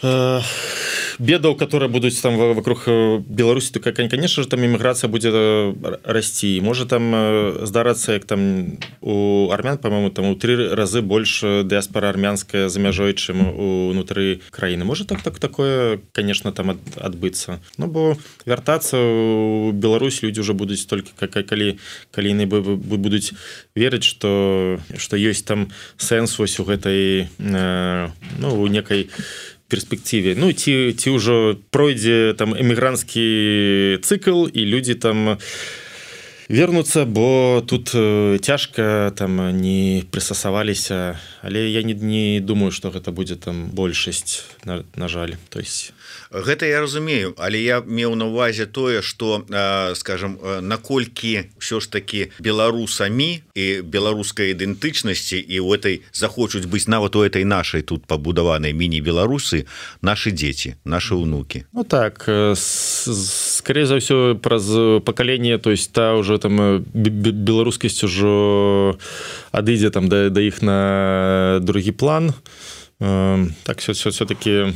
э, бедаў, которые будуць там вокруг Беларусі, то, конечно же, там иммиграция будет расти. Может там здарацца, як там у армян, по-моему, там у три разы больше диаспора армянская за мяжой, чым унутры краіны. Может так, так такое, конечно, там адбыцца. Ну, бо вяртацца у Беларусь люди уже будуць только, калі, калі яны будуць верыць, что, что есть там сэнс вось у гэтай, ну, у некай перспективе. Ну, ці, ці ўжо пройдзе там эмігранцкі цыкл, і людзі там вернуцца, бо тут цяжка там не прыстасаваліся. Але я не, не думаю, што гэта будзе там большасць, на, на жаль. То есть гэта я разумею, але я меў на увазе тое, што, скажем, наколькі ўсё ж такі беларусамі і беларускай ідэнтычнасці і ў этой захочуць быць нават у этой нашай тут пабудаванай міні-беларусы нашы дзеці, нашы ўнукі. Ну так, скорее за ўсё праз пакаленне, то есть та ўжо там беларускасць ужо адыдзе там да, да іх на другі план. Так все, все, все-таки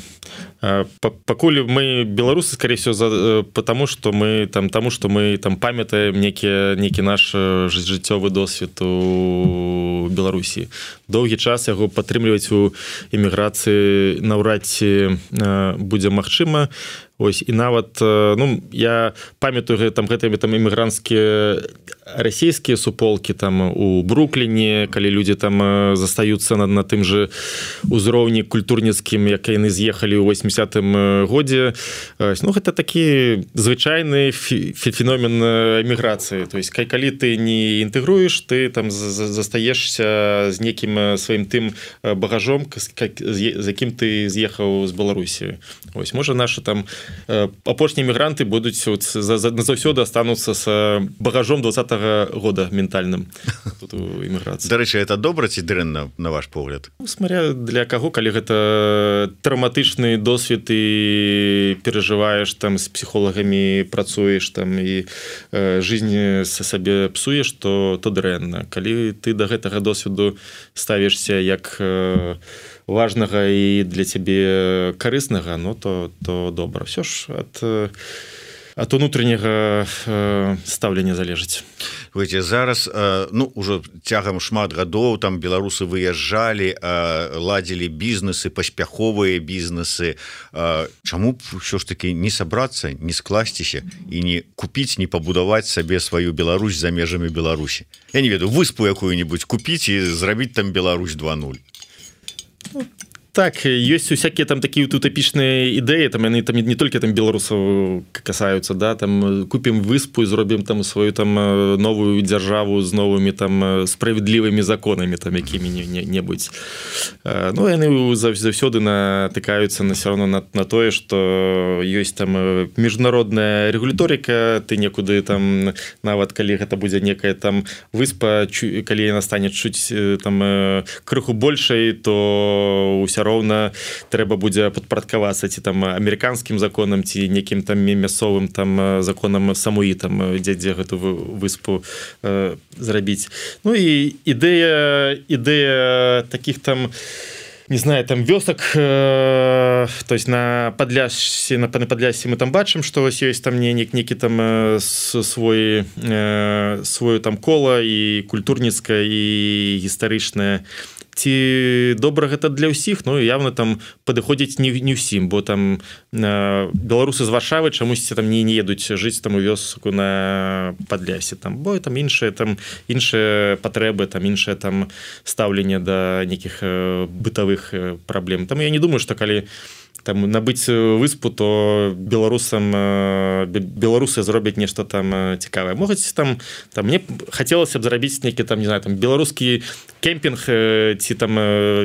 пакуль мы беларусы, скорее всего, за, потому что мы там тому, что мы там памятаем некі некі наш жыццёвы досвед у Беларусі. Доўгі час яго падтрымліваць у эміграцыі наўрад ці будзе магчыма. Ось, і нават, ну, я памятаю там гэтымі там эмігранцкія расійскія суполкі там у Брукліне, калі людзі там застаюцца на, на тым же узроўні культурніцкім, як яны з'ехалі ў восьмідзесятым годзе. Ну, гэта такі звычайны феномен эміграцыі. То есть, калі ты не інтэгруеш, ты там застаешся з некім сваім тым багажом, з якім ты з'ехаў з Беларусі. Ось, можа, нашы там апошнія мігранты будуць назаўсёды астануцца з багажом двадцатага года ментальным тут у эміграцыі. Дарэчы, это добра ці дрэнна, на ваш погляд? Ну, смотря для каго, калі гэта траўматычны досвед і перажываеш там з псіхолагамі, працуеш там і э, жизнь сабе псуеш, то, то дрэнна. Калі ты да гэтага досведу ставішся як э, важнага і для цябе карыснага, ну то, то добра. Все ж ад, ад унутраняга стаўлення залежыць. Видите, зараз, ну, уже цягам шмат гадоў там беларусы выязджалі, ладзілі бізнесы, паспяховыя бізнесы. Чаму б ўсё ж таки не сабрацца, не скласціся і не купіць, не пабудаваць сабе сваю Беларусь за межамі Беларусі? Я не ведаю, выспу якую-нибудь купіць і зрабіць там Беларусь два нуль. так есть усякие там такие вот утопічныя ідэі, там яны там не только там беларусаў касаются, да, там купім выспу і зробім там свою там новую дзяржаву з новымі там справядлівымі законамі там якімі-небудзь. Ну яны заўсёды натыкаюцца на все равно на, на тое, что ёсць там міжнародная рэгуляторыка, ты некуды там нават калі гэта будзе некая там выспа, калі яна стане чуць там крыху большай, то ўсё роўна трэба будзе падпарадкавацца ці там амерыканскім законам ці некім там мясцовым там законам самуі там дзе дзе гэту выспу э, зрабіць. Ну і ідэя ідэя таких там, не знаю, там вёсак, э, то есть на Падляшсе, на Падляшсе мы там бачым, што вось ёсць там не некі там э, свой э, свое там кола і культурніцкае і гістарычнае. Ці добра гэта для ўсіх? Ну явно там падыходзіць не, не ўсім, бо там э, беларусы з Варшавы чамусьці там не, не едуць жыць там у вёску на Падлясе, там бо там іншыя там іншыя патрэбы, там іншае там стаўленне да нейкіх э, бытавых э, праблем. Таму я не думаю, што калі там набыць выспу, то беларусам беларусы зробяць нешта там цікавае. Могуць там там мне хацелася б зрабіць нейкі там, не знаю, там беларускі кемпінг ці там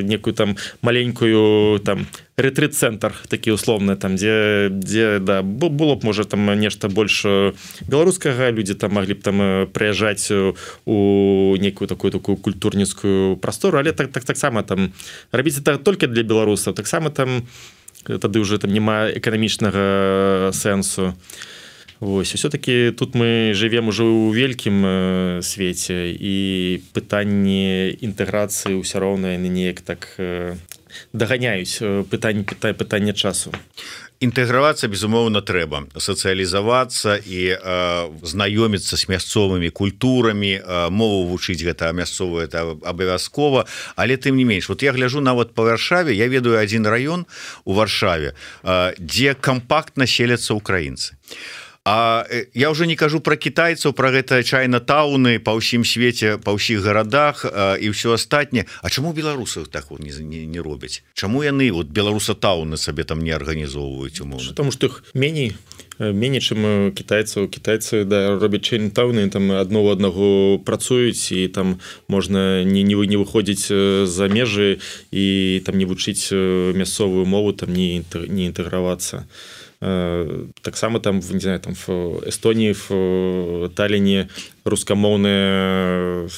некую там маленькую там рэтрыт-цэнтр такі условны там, дзе дзе да было б можа там нешта больш беларускага, людзі там маглі б там прыязджаць у некую такую такую культурніцкую прастору, але так так таксама там рабіць это толькі для беларусаў, таксама там тады ўжо там няма эканамічнага сэнсу. Вось, все-таки тут мы жывем уже ў вялікім свеце, і пытанне інтэграцыі ўсё роўна яны неяк так даганяюць пытанне пытання часу. Інтэгравацца, безумоўна, трэба сацыялізавацца і э, знаёміцца з мясцовымі культурамі, э, мову вучыць гэта мясцовую, это абавязкова, але тым не менш, вот я гляжу нават па Варшаве, я ведаю адзін раён у Варшаве, э, дзе кампактна селяцца украінцы. А я уже не кажу про китайцаў, про гэта чайна-тауны па ўсім свеце, па ўсіх гарадах і ўсё астатняе. А чаму беларусаў так вот не, не, не робяць? Чаму яны вот беларуса-тауны сабе там не арганізоўваюць умоўна? Потому что іх меней меней, чым кітайцаў. Кітайцы да робяць чайна-тауны, там адно ў аднаго працуюць, і там можна не, не, не выходзіць за межы і там не вучыць мясцовую мову, там не, не інтэгравацца. Таксама там, не знаю, там в Эстонії, в Таллине рускамоўная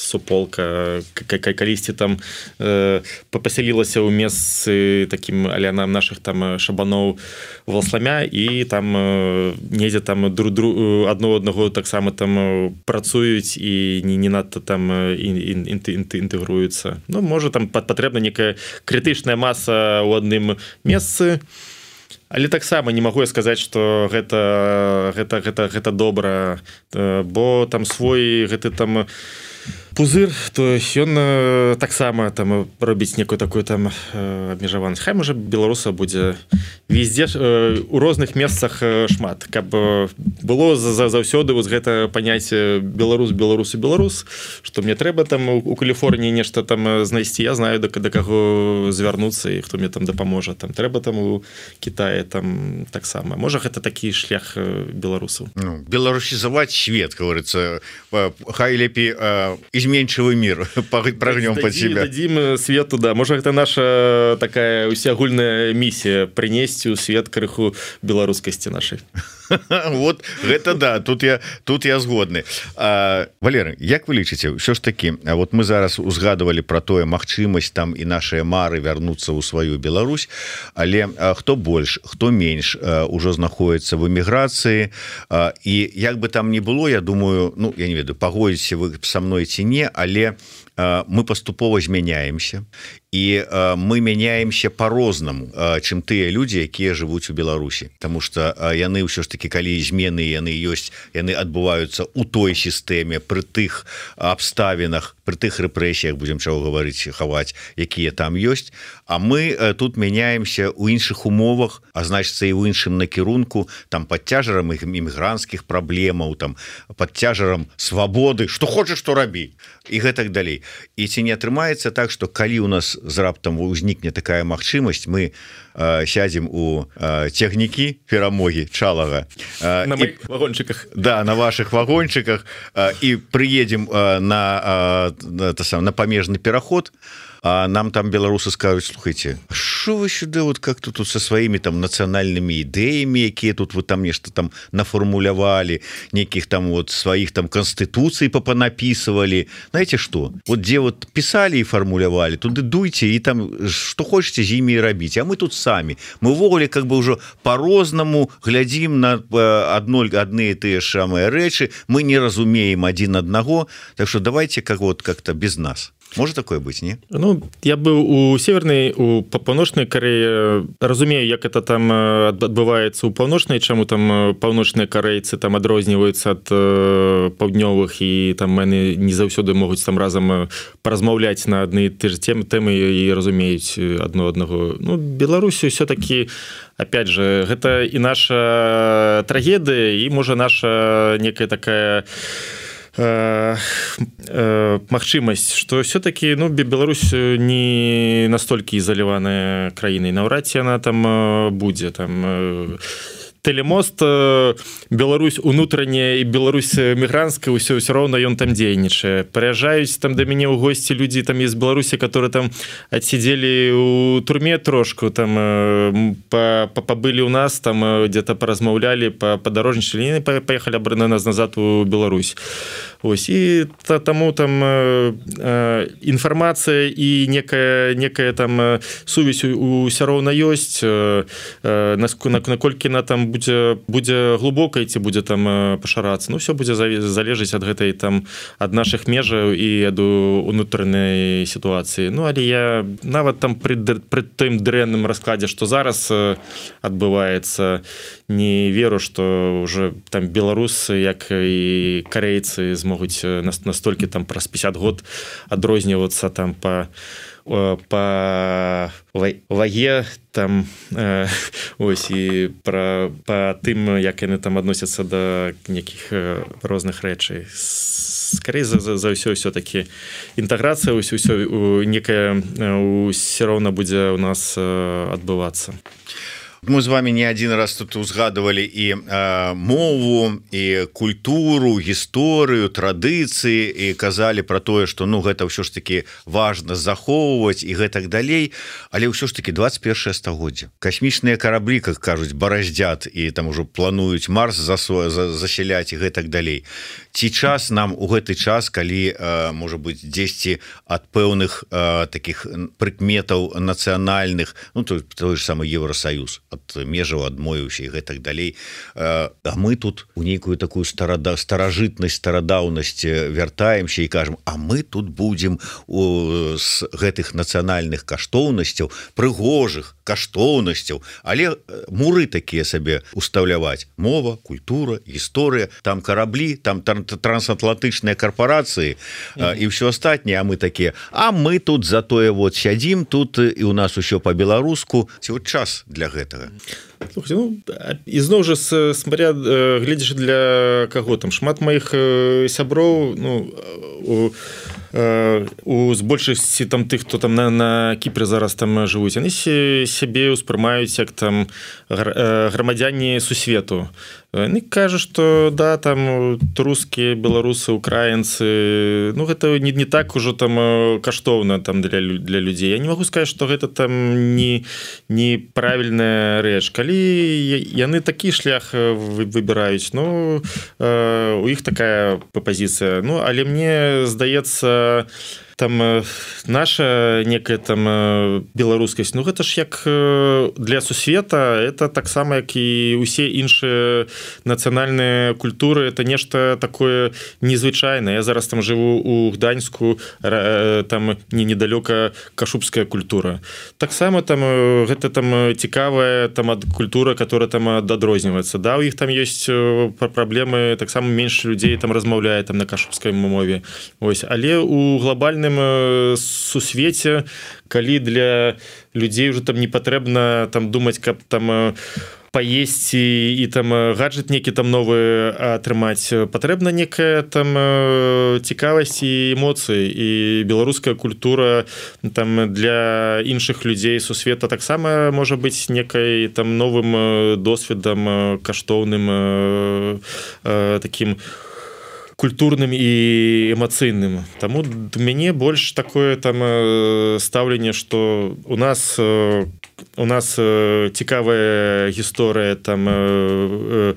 суполка калісьці там э, пасялілася ў месцы такім аля нам наших там шабаноў Валасламя, і там э, недзе там друг друг адно аднаго таксама там працуюць і не, не надта там інтэгруюцца. Ну, можа там патрэбна некая крытычная маса ў адным месцы. Але таксама не магу я сказаць, што гэта, гэта, гэта, гэта добра, бо там свой гэты там пузыр, то ён таксама там робіць некую такую там абмежаванасць. Хай можа беларуса будзе везде у розных месцах шмат, каб было заўсёды вось гэта паняцце беларус беларус і беларус, што мне трэба там у Каліфорніі нешта там знайсці, я знаю да, да каго звярнуцца і хто мне там дапаможа, там трэба там у Кітаі там таксама. Можа гэта такі шлях беларусаў. Ну, беларусізаваць свет, говорится, хай лепей изменчивый мир прогнем под себя. Дадим свету, да. Может, это наша такая усеагульная миссия — принести у свет крыху белорусскости нашей. Вот это да, тут я тут я згодны. А, Валерый, як вы лічыце, ўсё ж таки, вот мы зараз узгадывали про тое магчымасць там і нашыя мары вярнуцца ў сваю Беларусь, але а, хто больш, хто менш а, ужо знаходіцца в эміграцыі, а, і як бы там ни было, я думаю, ну я не ведаю, пагодзіце вы са мной ці не, але а, мы паступова змяняемся, і э, мы мяняемся по-рознаму, э, чым тыя людзі, якія жывуць у Беларусі, потому что э, яны ўсё ж таки, калі змены яны ёсць, яны адбываюцца у той сістэме, пры тых абставінах, пры тых рэпрэсіях, будзем чаго гаварыць, хаваць, якія там ёсць. А мы э, тут мяняемся ў іншых умовах, а значыцца і ў іншым накірунку, там пад цяжарам імігрантскіх праблемаў, там пад цяжарам свабоды, што хочаш, што рабі, і гэтак далей. і ці не атрымаецца так что калі у нас з раптам узнікне такая магчымасць мы э, сядзем у э, цягнікі перамогі чалага э, на і, вагончыках да на ваших вагончыках э, і приедем э, на э, сам на памежны пераход а нам там беларусы скажут слухайте что вы сюда вот как-то тут со своими там нацыянальными ідэями якія тут вы там нешта там наформулявали неких там вот своих там конституций попонаписывали знаете что вот где вот писали и формулявали туды дуйте и там что хочете з імі рабіць а мы тут сами мы увогуле как бы уже по-рознаму глядзім на одно адны тыя самыя рэчы мы не разумеем один аднаго так что давайте как вот как-то без нас может такое быть не ну я быў у севернай у паўночнай Карэі разумею як это там адбываецца у паўночнай чаму там паўночныя карэйцы там адрозніваюцца ад паўднёвых і там яны не заўсёды могуць там разам паразмаўляць на адны ты ж темы тэмы і разумеюць адно аднаго ну Беларусі все-таки опять же гэта і наша трагедыя і можа наша некая такая магчымасць что все-таки ну Беларусь не настолькі ізаляваная краінай наўрад ці яна там будзе там Телемост Беларусь унутраняя і Беларусь мігрантская ўсё ўсё роўна ён там дзейнічае прыязджаюць там да мяне ў госці людзі там из Беларусі которые там адсидзелі у турме трошку там пабылі у нас там где-то паразмаўлялі па падарожнічалі паехалі абрана нас назад у Беларусь ось і та, таму там інфармацыя і некая некая там сувязь ўсё роўна ёсць наколькі на там будзе будзе глубокай ці будзе там пашарацца ну все будзе залежыць ад гэтай там ад наших межаў і ад унутранай сітуацыі ну але я нават там пры, пры тым дрэнным раскладзе што зараз адбываецца не веру что уже там беларусы як і карейцы змогуць настолькі там праз пятьдесят год адрознівацца там по по ваге там э, ось і пра па тым як яны там адносяцца да нейкіх розных рэчай скорей за, за, за ўсё все-таки інтэграцыя ўсё ўсё некая ўсё роўна будзе у нас адбывацца мы з вами не один раз тут узгадывали і э, мову і культуру гісторыю традыцыі і казалі про тое что ну гэта ўсё ж таки важно захоўваць і гэтак далей але ўсё ж таки двадцать первое стагоддзе касмічныя караблі как кажуць бараздзят і там ужо плануюць Марс за за засяляць і гэтак далей ці час нам у гэты час калі э, можа быть дзесьці ад пэўных э, таких прыкметаў нацыянальных ну то той же самый Евросоюз от межаў адмовіўся і гэтак далей а мы тут у нейкую такую старада старажытнасць старадаўнасць вяртаемся і кажам а мы тут будзем з гэтых нацыянальных каштоўнасцяў прыгожых каштоўнасцяў але муры такія сабе устаўляваць мова культура гісторыя там караблі там трансатлантычныя карпорацыі mm-hmm. і ўсё астатняе а мы такія а мы тут затое вот сядзім тут і у нас усё по-беларуску ці вот час для гэтага Слухайте, ну, ізноў жа смотря гледзяш для каго там шмат маіх сяброў ну у у з большасці там тых хто там на, на Кіпры зараз там жывуць яны сябе ўспрымаюць як там грамадзяне сусвету не кажа что да там рускія беларусы украінцы ну гэта не, не так ужо там каштоўна там для для людзей я не могу сказать что гэта там не неправільная рэч калі яны такі шлях выбіраюць ну у іх такая пазіцыя ну але мне здаецца там наша некая там беларускасць ну гэта ж як для сусвета это таксама як і усе іншыя нацыянальныя культуры это нешта такое незвычайнае я зараз там жыву у Гданьску там не недалёка кашубская культура таксама там гэта там цікавая там ад культура которая там адрозніваецца да у іх там ёсць праблемы таксама менш людзей там размаўляе там на кашубскай мове ось але у глобальным сусвеце калі для людзей уже там не патрэбна там думаць каб там паесці і там гаджет некі там новы атрымаць, патрэбна некая там цікавасць і эмоцыі, і беларуская культура там для іншых людзей сусвета таксама можа быць некай там новым досведам каштоўным таким культурным і эмацыйным. Таму у мяне больш такое там стаўленне, што у нас у нас цікавая гісторыя там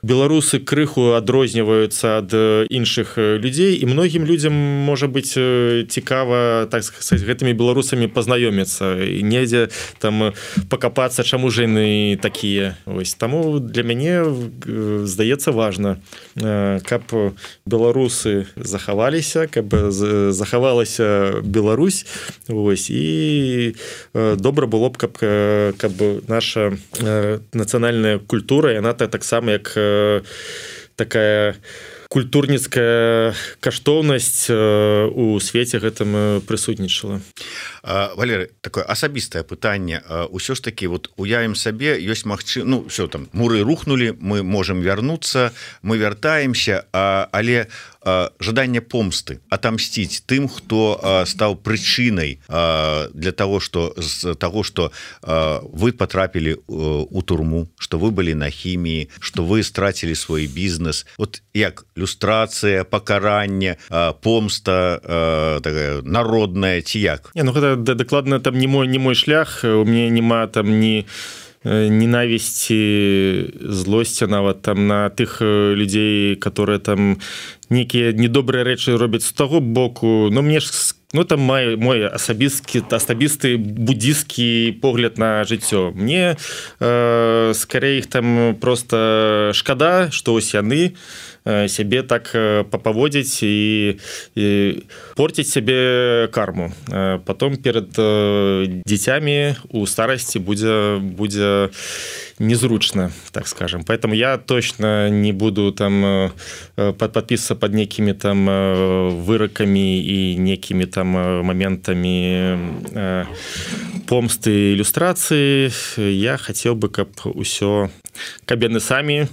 беларусы крыху адрозніваюцца ад іншых людзей, і многім людзям можа быць цікава, так сказаць, гэтымі беларусамі пазнаёміцца і недзе там пакапацца, чаму ж яны такія. Вось таму для мяне здаецца важна, каб беларусы захаваліся, каб захавалася Беларусь. Вось, і добра было б, каб каб наша нацыянальная культура, яна таксама як такая культурніцкая каштоўнасць у свеце гэтым прысутнічала. Валерый, такое асабістае пытанне. Усё ж таки вот уявім сабе, ёсць магчы... ну все там муры рухнули, мы можем вярнуцца, мы вяртаемся, але жаданне помсты, отомстить тым, хто стаў прычынай для того, что з того, что вы потрапілі у турму, что вы былі на хіміі, что вы страцілі свой бізнес. Вот як люстрацыя, пакаранне, помста такая народная ці як? Не, ну гэта дакладна там не мой не мой шлях, у мяне няма там ні ненавісці, злосці нават там на тых людзей, которые там некія недобрыя рэчы робяць з таго боку. Ну мне ж ну там мой мой асабісты асабісты буддійскі погляд на жыццё. Мне э, скорей іх там просто шкада, што ось яны сябе так папаводзіць і, і порціць сябе карму. Потом перад дзіцямі у старасці будзе будзе незручно, так скажем. Поэтому я точно не буду там подписываться под некими там выроками и некими там моментами помсты, иллюстрации. Я хотел бы, каб усё, каб яны самі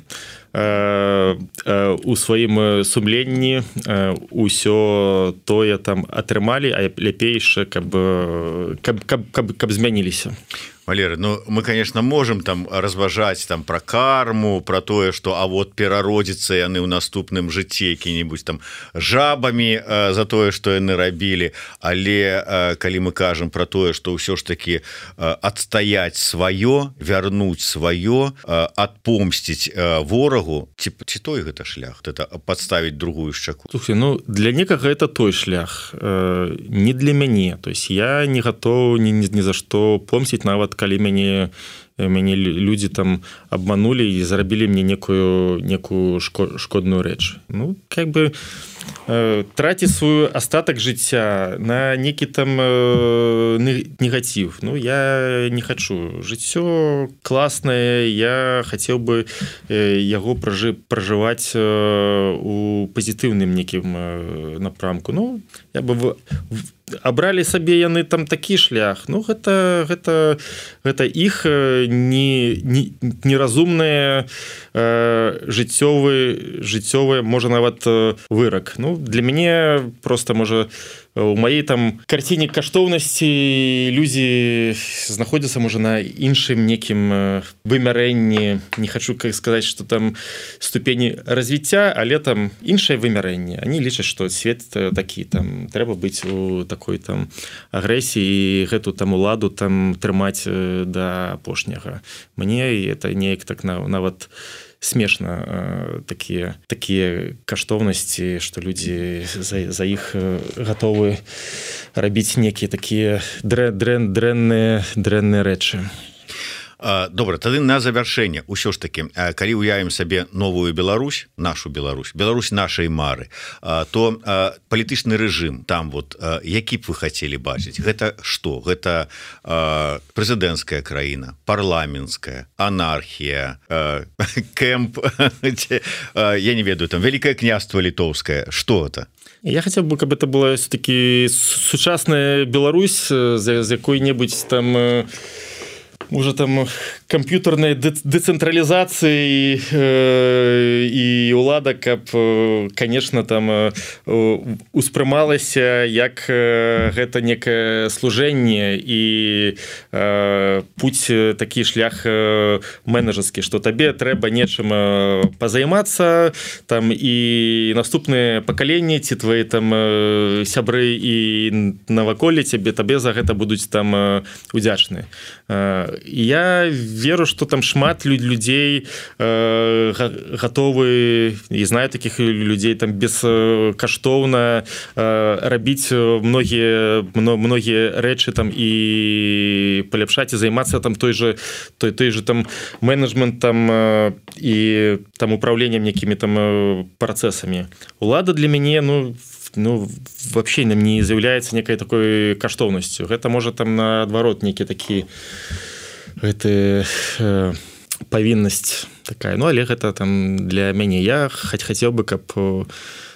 у сваім сумленні усё тое там атрымалі, а лепейше каб каб каб каб, каб змяніліся. Валерий, ну мы, конечно, можем там разважаць там про карму, про тое, что а вот перародзіцца яны ў наступным жыцці які-нибудь там жабамі э, за тое, что яны рабілі, але э, калі мы кажам про тое, что ўсё ж таки э, адстаяць сваё, вярнуць сваё, э, адпомсціць э, ворагу, ці, ці той гэта шлях, это подставіць другую шчаку. Слушай, ну для некага это той шлях, э, не для мяне. То есть я не готов ни, ни, ни за что помсціць, нават калі мяне мяне людзі там обманули і зарабілі мне некую некую шкодную рэч. Ну как бы э, траціць свой астатак жыцця на некі там э, негатив. Ну я не хочу. Жыццё класнае, я хацеў бы э, яго пражы пражываць э, у пазітыўным некім э, напрамку. Ну я бы в, в, абралі сабе яны там такі шлях. Ну гэта гэта гэта іх не не неразумнае э, жыццёвы жыццёвы можа нават вырак. Ну для мяне просто можа у маёй там карціне каштоўнасці людзі знаходзяцца можа на іншым некім вымярэнні. Не хочу как сказаць, что там ступені развіцця, але там іншае вымярэнне. Они лічаць, что свет такі, там трэба быць у такой там агрэсіі і гэту там уладу там трымаць да апошняга. Мне это неяк так нават смешна такія такія каштоўнасці, што людзі за, за іх гатовы рабіць некія такія дрэн дрэнныя дрэнныя рэчы. Добра, тады на завяршэнне ўсё ж таки, калі уявім сабе новую Беларусь, нашу Беларусь, Беларусь нашай мары, то палітычны рэжым там вот які б вы хацелі бачыць? Гэта што? Гэта прэзідэнцкая краіна, парламенцкая, анархія, кэмп, я не ведаю, там Вялікае княства літоўскае, што это? Я хацеў бы, каб это была все-таки сучасная Беларусь з якой-небудзь там уже там камп'ютарнай дэцэнтралізацыі і ўлада, каб, конечно, там успрымалася як гэта некае служэнне і путь такі шлях менеджерскі, што табе трэба нечым пазаймацца там і наступныя пакаленні ці твои там сябры і наваколле цябе табе за гэта будуць там удзячныя. Я веру, что там шмат людзей э, готовы, і знаю таких людзей там бескаштоўна э, рабіць многія многія рэчы там і паляпшаць і займацца там той же той той же там менеджментам э, і там управленнем некімі там э, працэсамі. Улада для мяне, ну ну вообще нам не з'яўляецца некай такой каштоўнасцю. Гэта можа там наадварот некі такі гэта э, павіннасць такая. Ну але гэта там для мяне. Я хаць хацеў бы, каб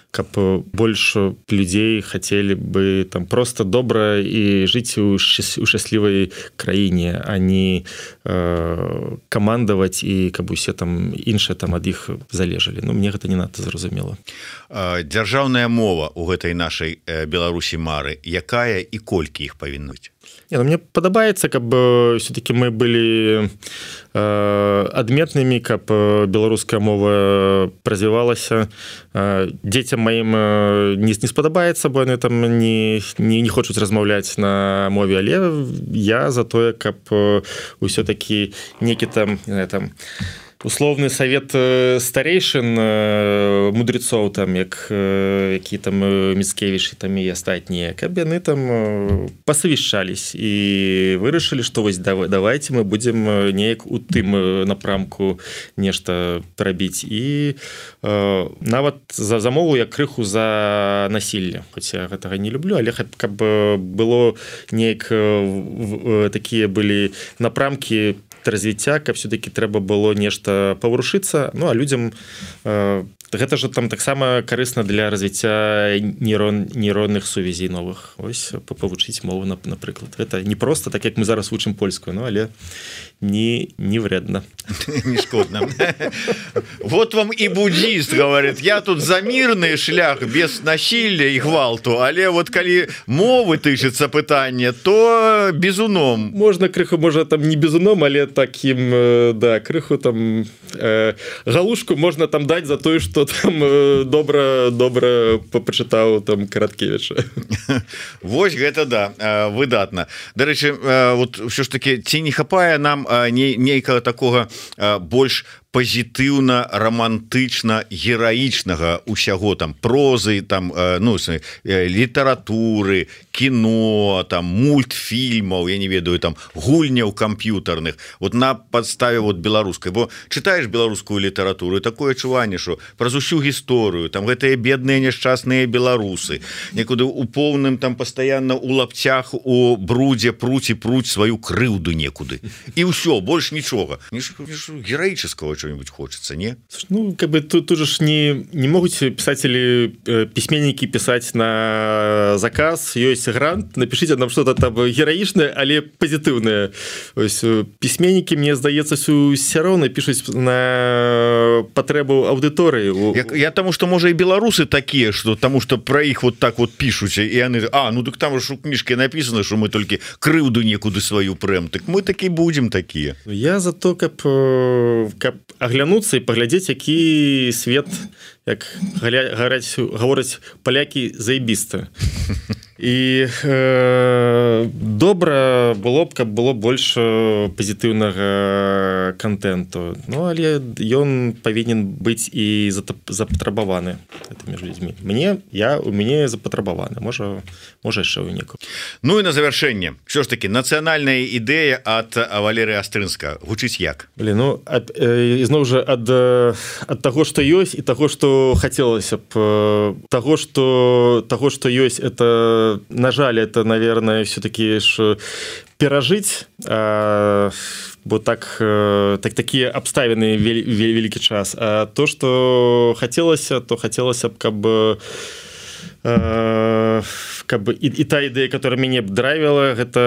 каб больш людзей хацелі бы там просто добра і жыць у шчаслівай краіне, а не э, камандаваць і каб усе там іншыя там ад іх залежалі. Ну мне гэта не надта зразумела. Дзяржаўная мова у гэтай нашай Беларусі мары, якая і колькі іх павінна быць? Не, ну, мне падабаецца, каб все-таки мы былі э, адметнымі, каб беларуская мова развівалася. Э, дзецям маім не, не спадабаецца, бо яны там не, не, не хочуць размаўляць на мове, але я за тое, каб ўсё-таки некі там, не знаю, там условны совет старейшин мудрецоў, там як які там Міцкевіч там і астатнія, каб яны там пасавяшчались і вырашылі, што вось давайте мы будзем неяк у тым напрамку нешта рабіць. І э, нават за замову я крыху за насілле, хоць я гэтага не люблю, але каб было неяк такія былі напрамкі развіцця, каб все-таки трэба было нешта паварушыцца. Ну а людзям э, гэта же там таксама карысна для развіцця нейрон нейронных сувязей новых. Ось павучыць мову, напрыклад. Гэта не просто так, як мы зараз вучым польскую, ну але не не вредно. Не шкодно. Вот вам и буддист говорит: я тут за мирный шлях без насилия и гвалту, але вот калі мовы тычыцца пытанне, то бізуном. Можна крыху, можа там не бізуном, але таким, да, крыху там э, галушку можна там даць за тое, што там э, добра добра пачытаў там Караткевіча. Вось гэта да, выдатна. Дарэчы, вот ўсё ж таки ці не хапае нам нейкага такога больш пазітыўна, романтычна, гераічнага усяго там прозы, там ну літаратуры, кіно, там мультфільмаў, я не ведаю, там гульняў камп'ютарных, вот на падставе вот беларускай. Бо чытаеш беларускую літаратуру, такое адчуванне, што праз усю гісторыю там гэтыя бедныя няшчасныя беларусы некуды у поўным там пастаянна у лапцях, у брудзе пруць і пруць сваю крыўду некуды. І ўсё, больш нічога. Гераічаскага что-нибудь хочется, не? Ну, как бы тут, тут же не, не могут писатели, письменники писать на заказ. Есть грант, напишите нам что-то там героичное, але позитивное. То есть письменники, мне здаецца, все равно пишут на потребу аудитории. Я, я тому, что, может, и белорусы такие, что тому, что про их вот так вот пишут, и они, а, ну так там же у книжки написано, что мы только крыўду некуды свою прем, так мы таки будем такие. Я за то, как, как аглянуцца і паглядзець, які свет, як гавораць палякі, заебіста. І э, добра было б, каб было больш пазітыўнага контенту. Ну але ён павінен быць і запатрабаваны гэтымі людзьмі. Мне я у мяне запатрабаваны, можа можа яшчэ ў неку. Ну і на завяршэнне ўсё ж таки нацыянальная ідэя ад Валерыя Астрынска гучыць як? Блин, ну ад, э, ізноў жа ад ад таго, што ёсць, і таго, што хацелася б, таго, што таго, што ёсць, это на жаль, это, наверное, все-таки перажить, а, бо так, так такие обставины вел, вел, великий час. А то, что хотелось, то хотелось, как бы как бы і, і та ідэя, которая мяне б драйвіла, гэта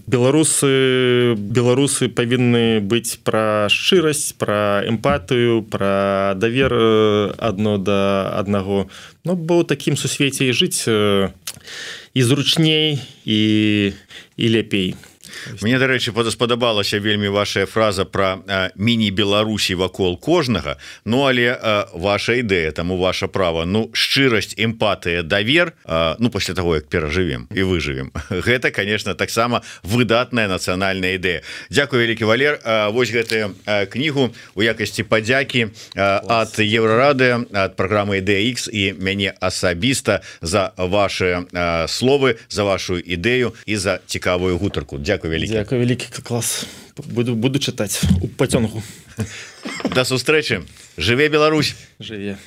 беларусы беларусы павінны быць пра шчырасць, пра эмпатыю, пра давер адно да аднаго. Ну, бо ў такім сусвеце і жыць і зручней і, і лепей. Мне, дарэчы, спадабалася вельмі ваша фраза про міні-беларусі вакол кожнага. Ну, але а, ваша ідэя, таму ваша права, ну, шчырасць, эмпатыя, давер, а, ну, пасля таго, як перажывем і выжывем. Гэта, конечно, таксама выдатная нацыянальная ідэя. Дзякуй, вялікі Валер. А, вось гэтую кнігу у якасці падзякі ад Еўрарады, ад праграмы Ідэя Ікс і мяне асабіста за ваши а, словы, за вашу ідэю і за цікавую гутарку. Дзякуй. Дякую, великий клас. Буду, буду читати у потягу. До зустрічі. Живе Білорусь. Живе.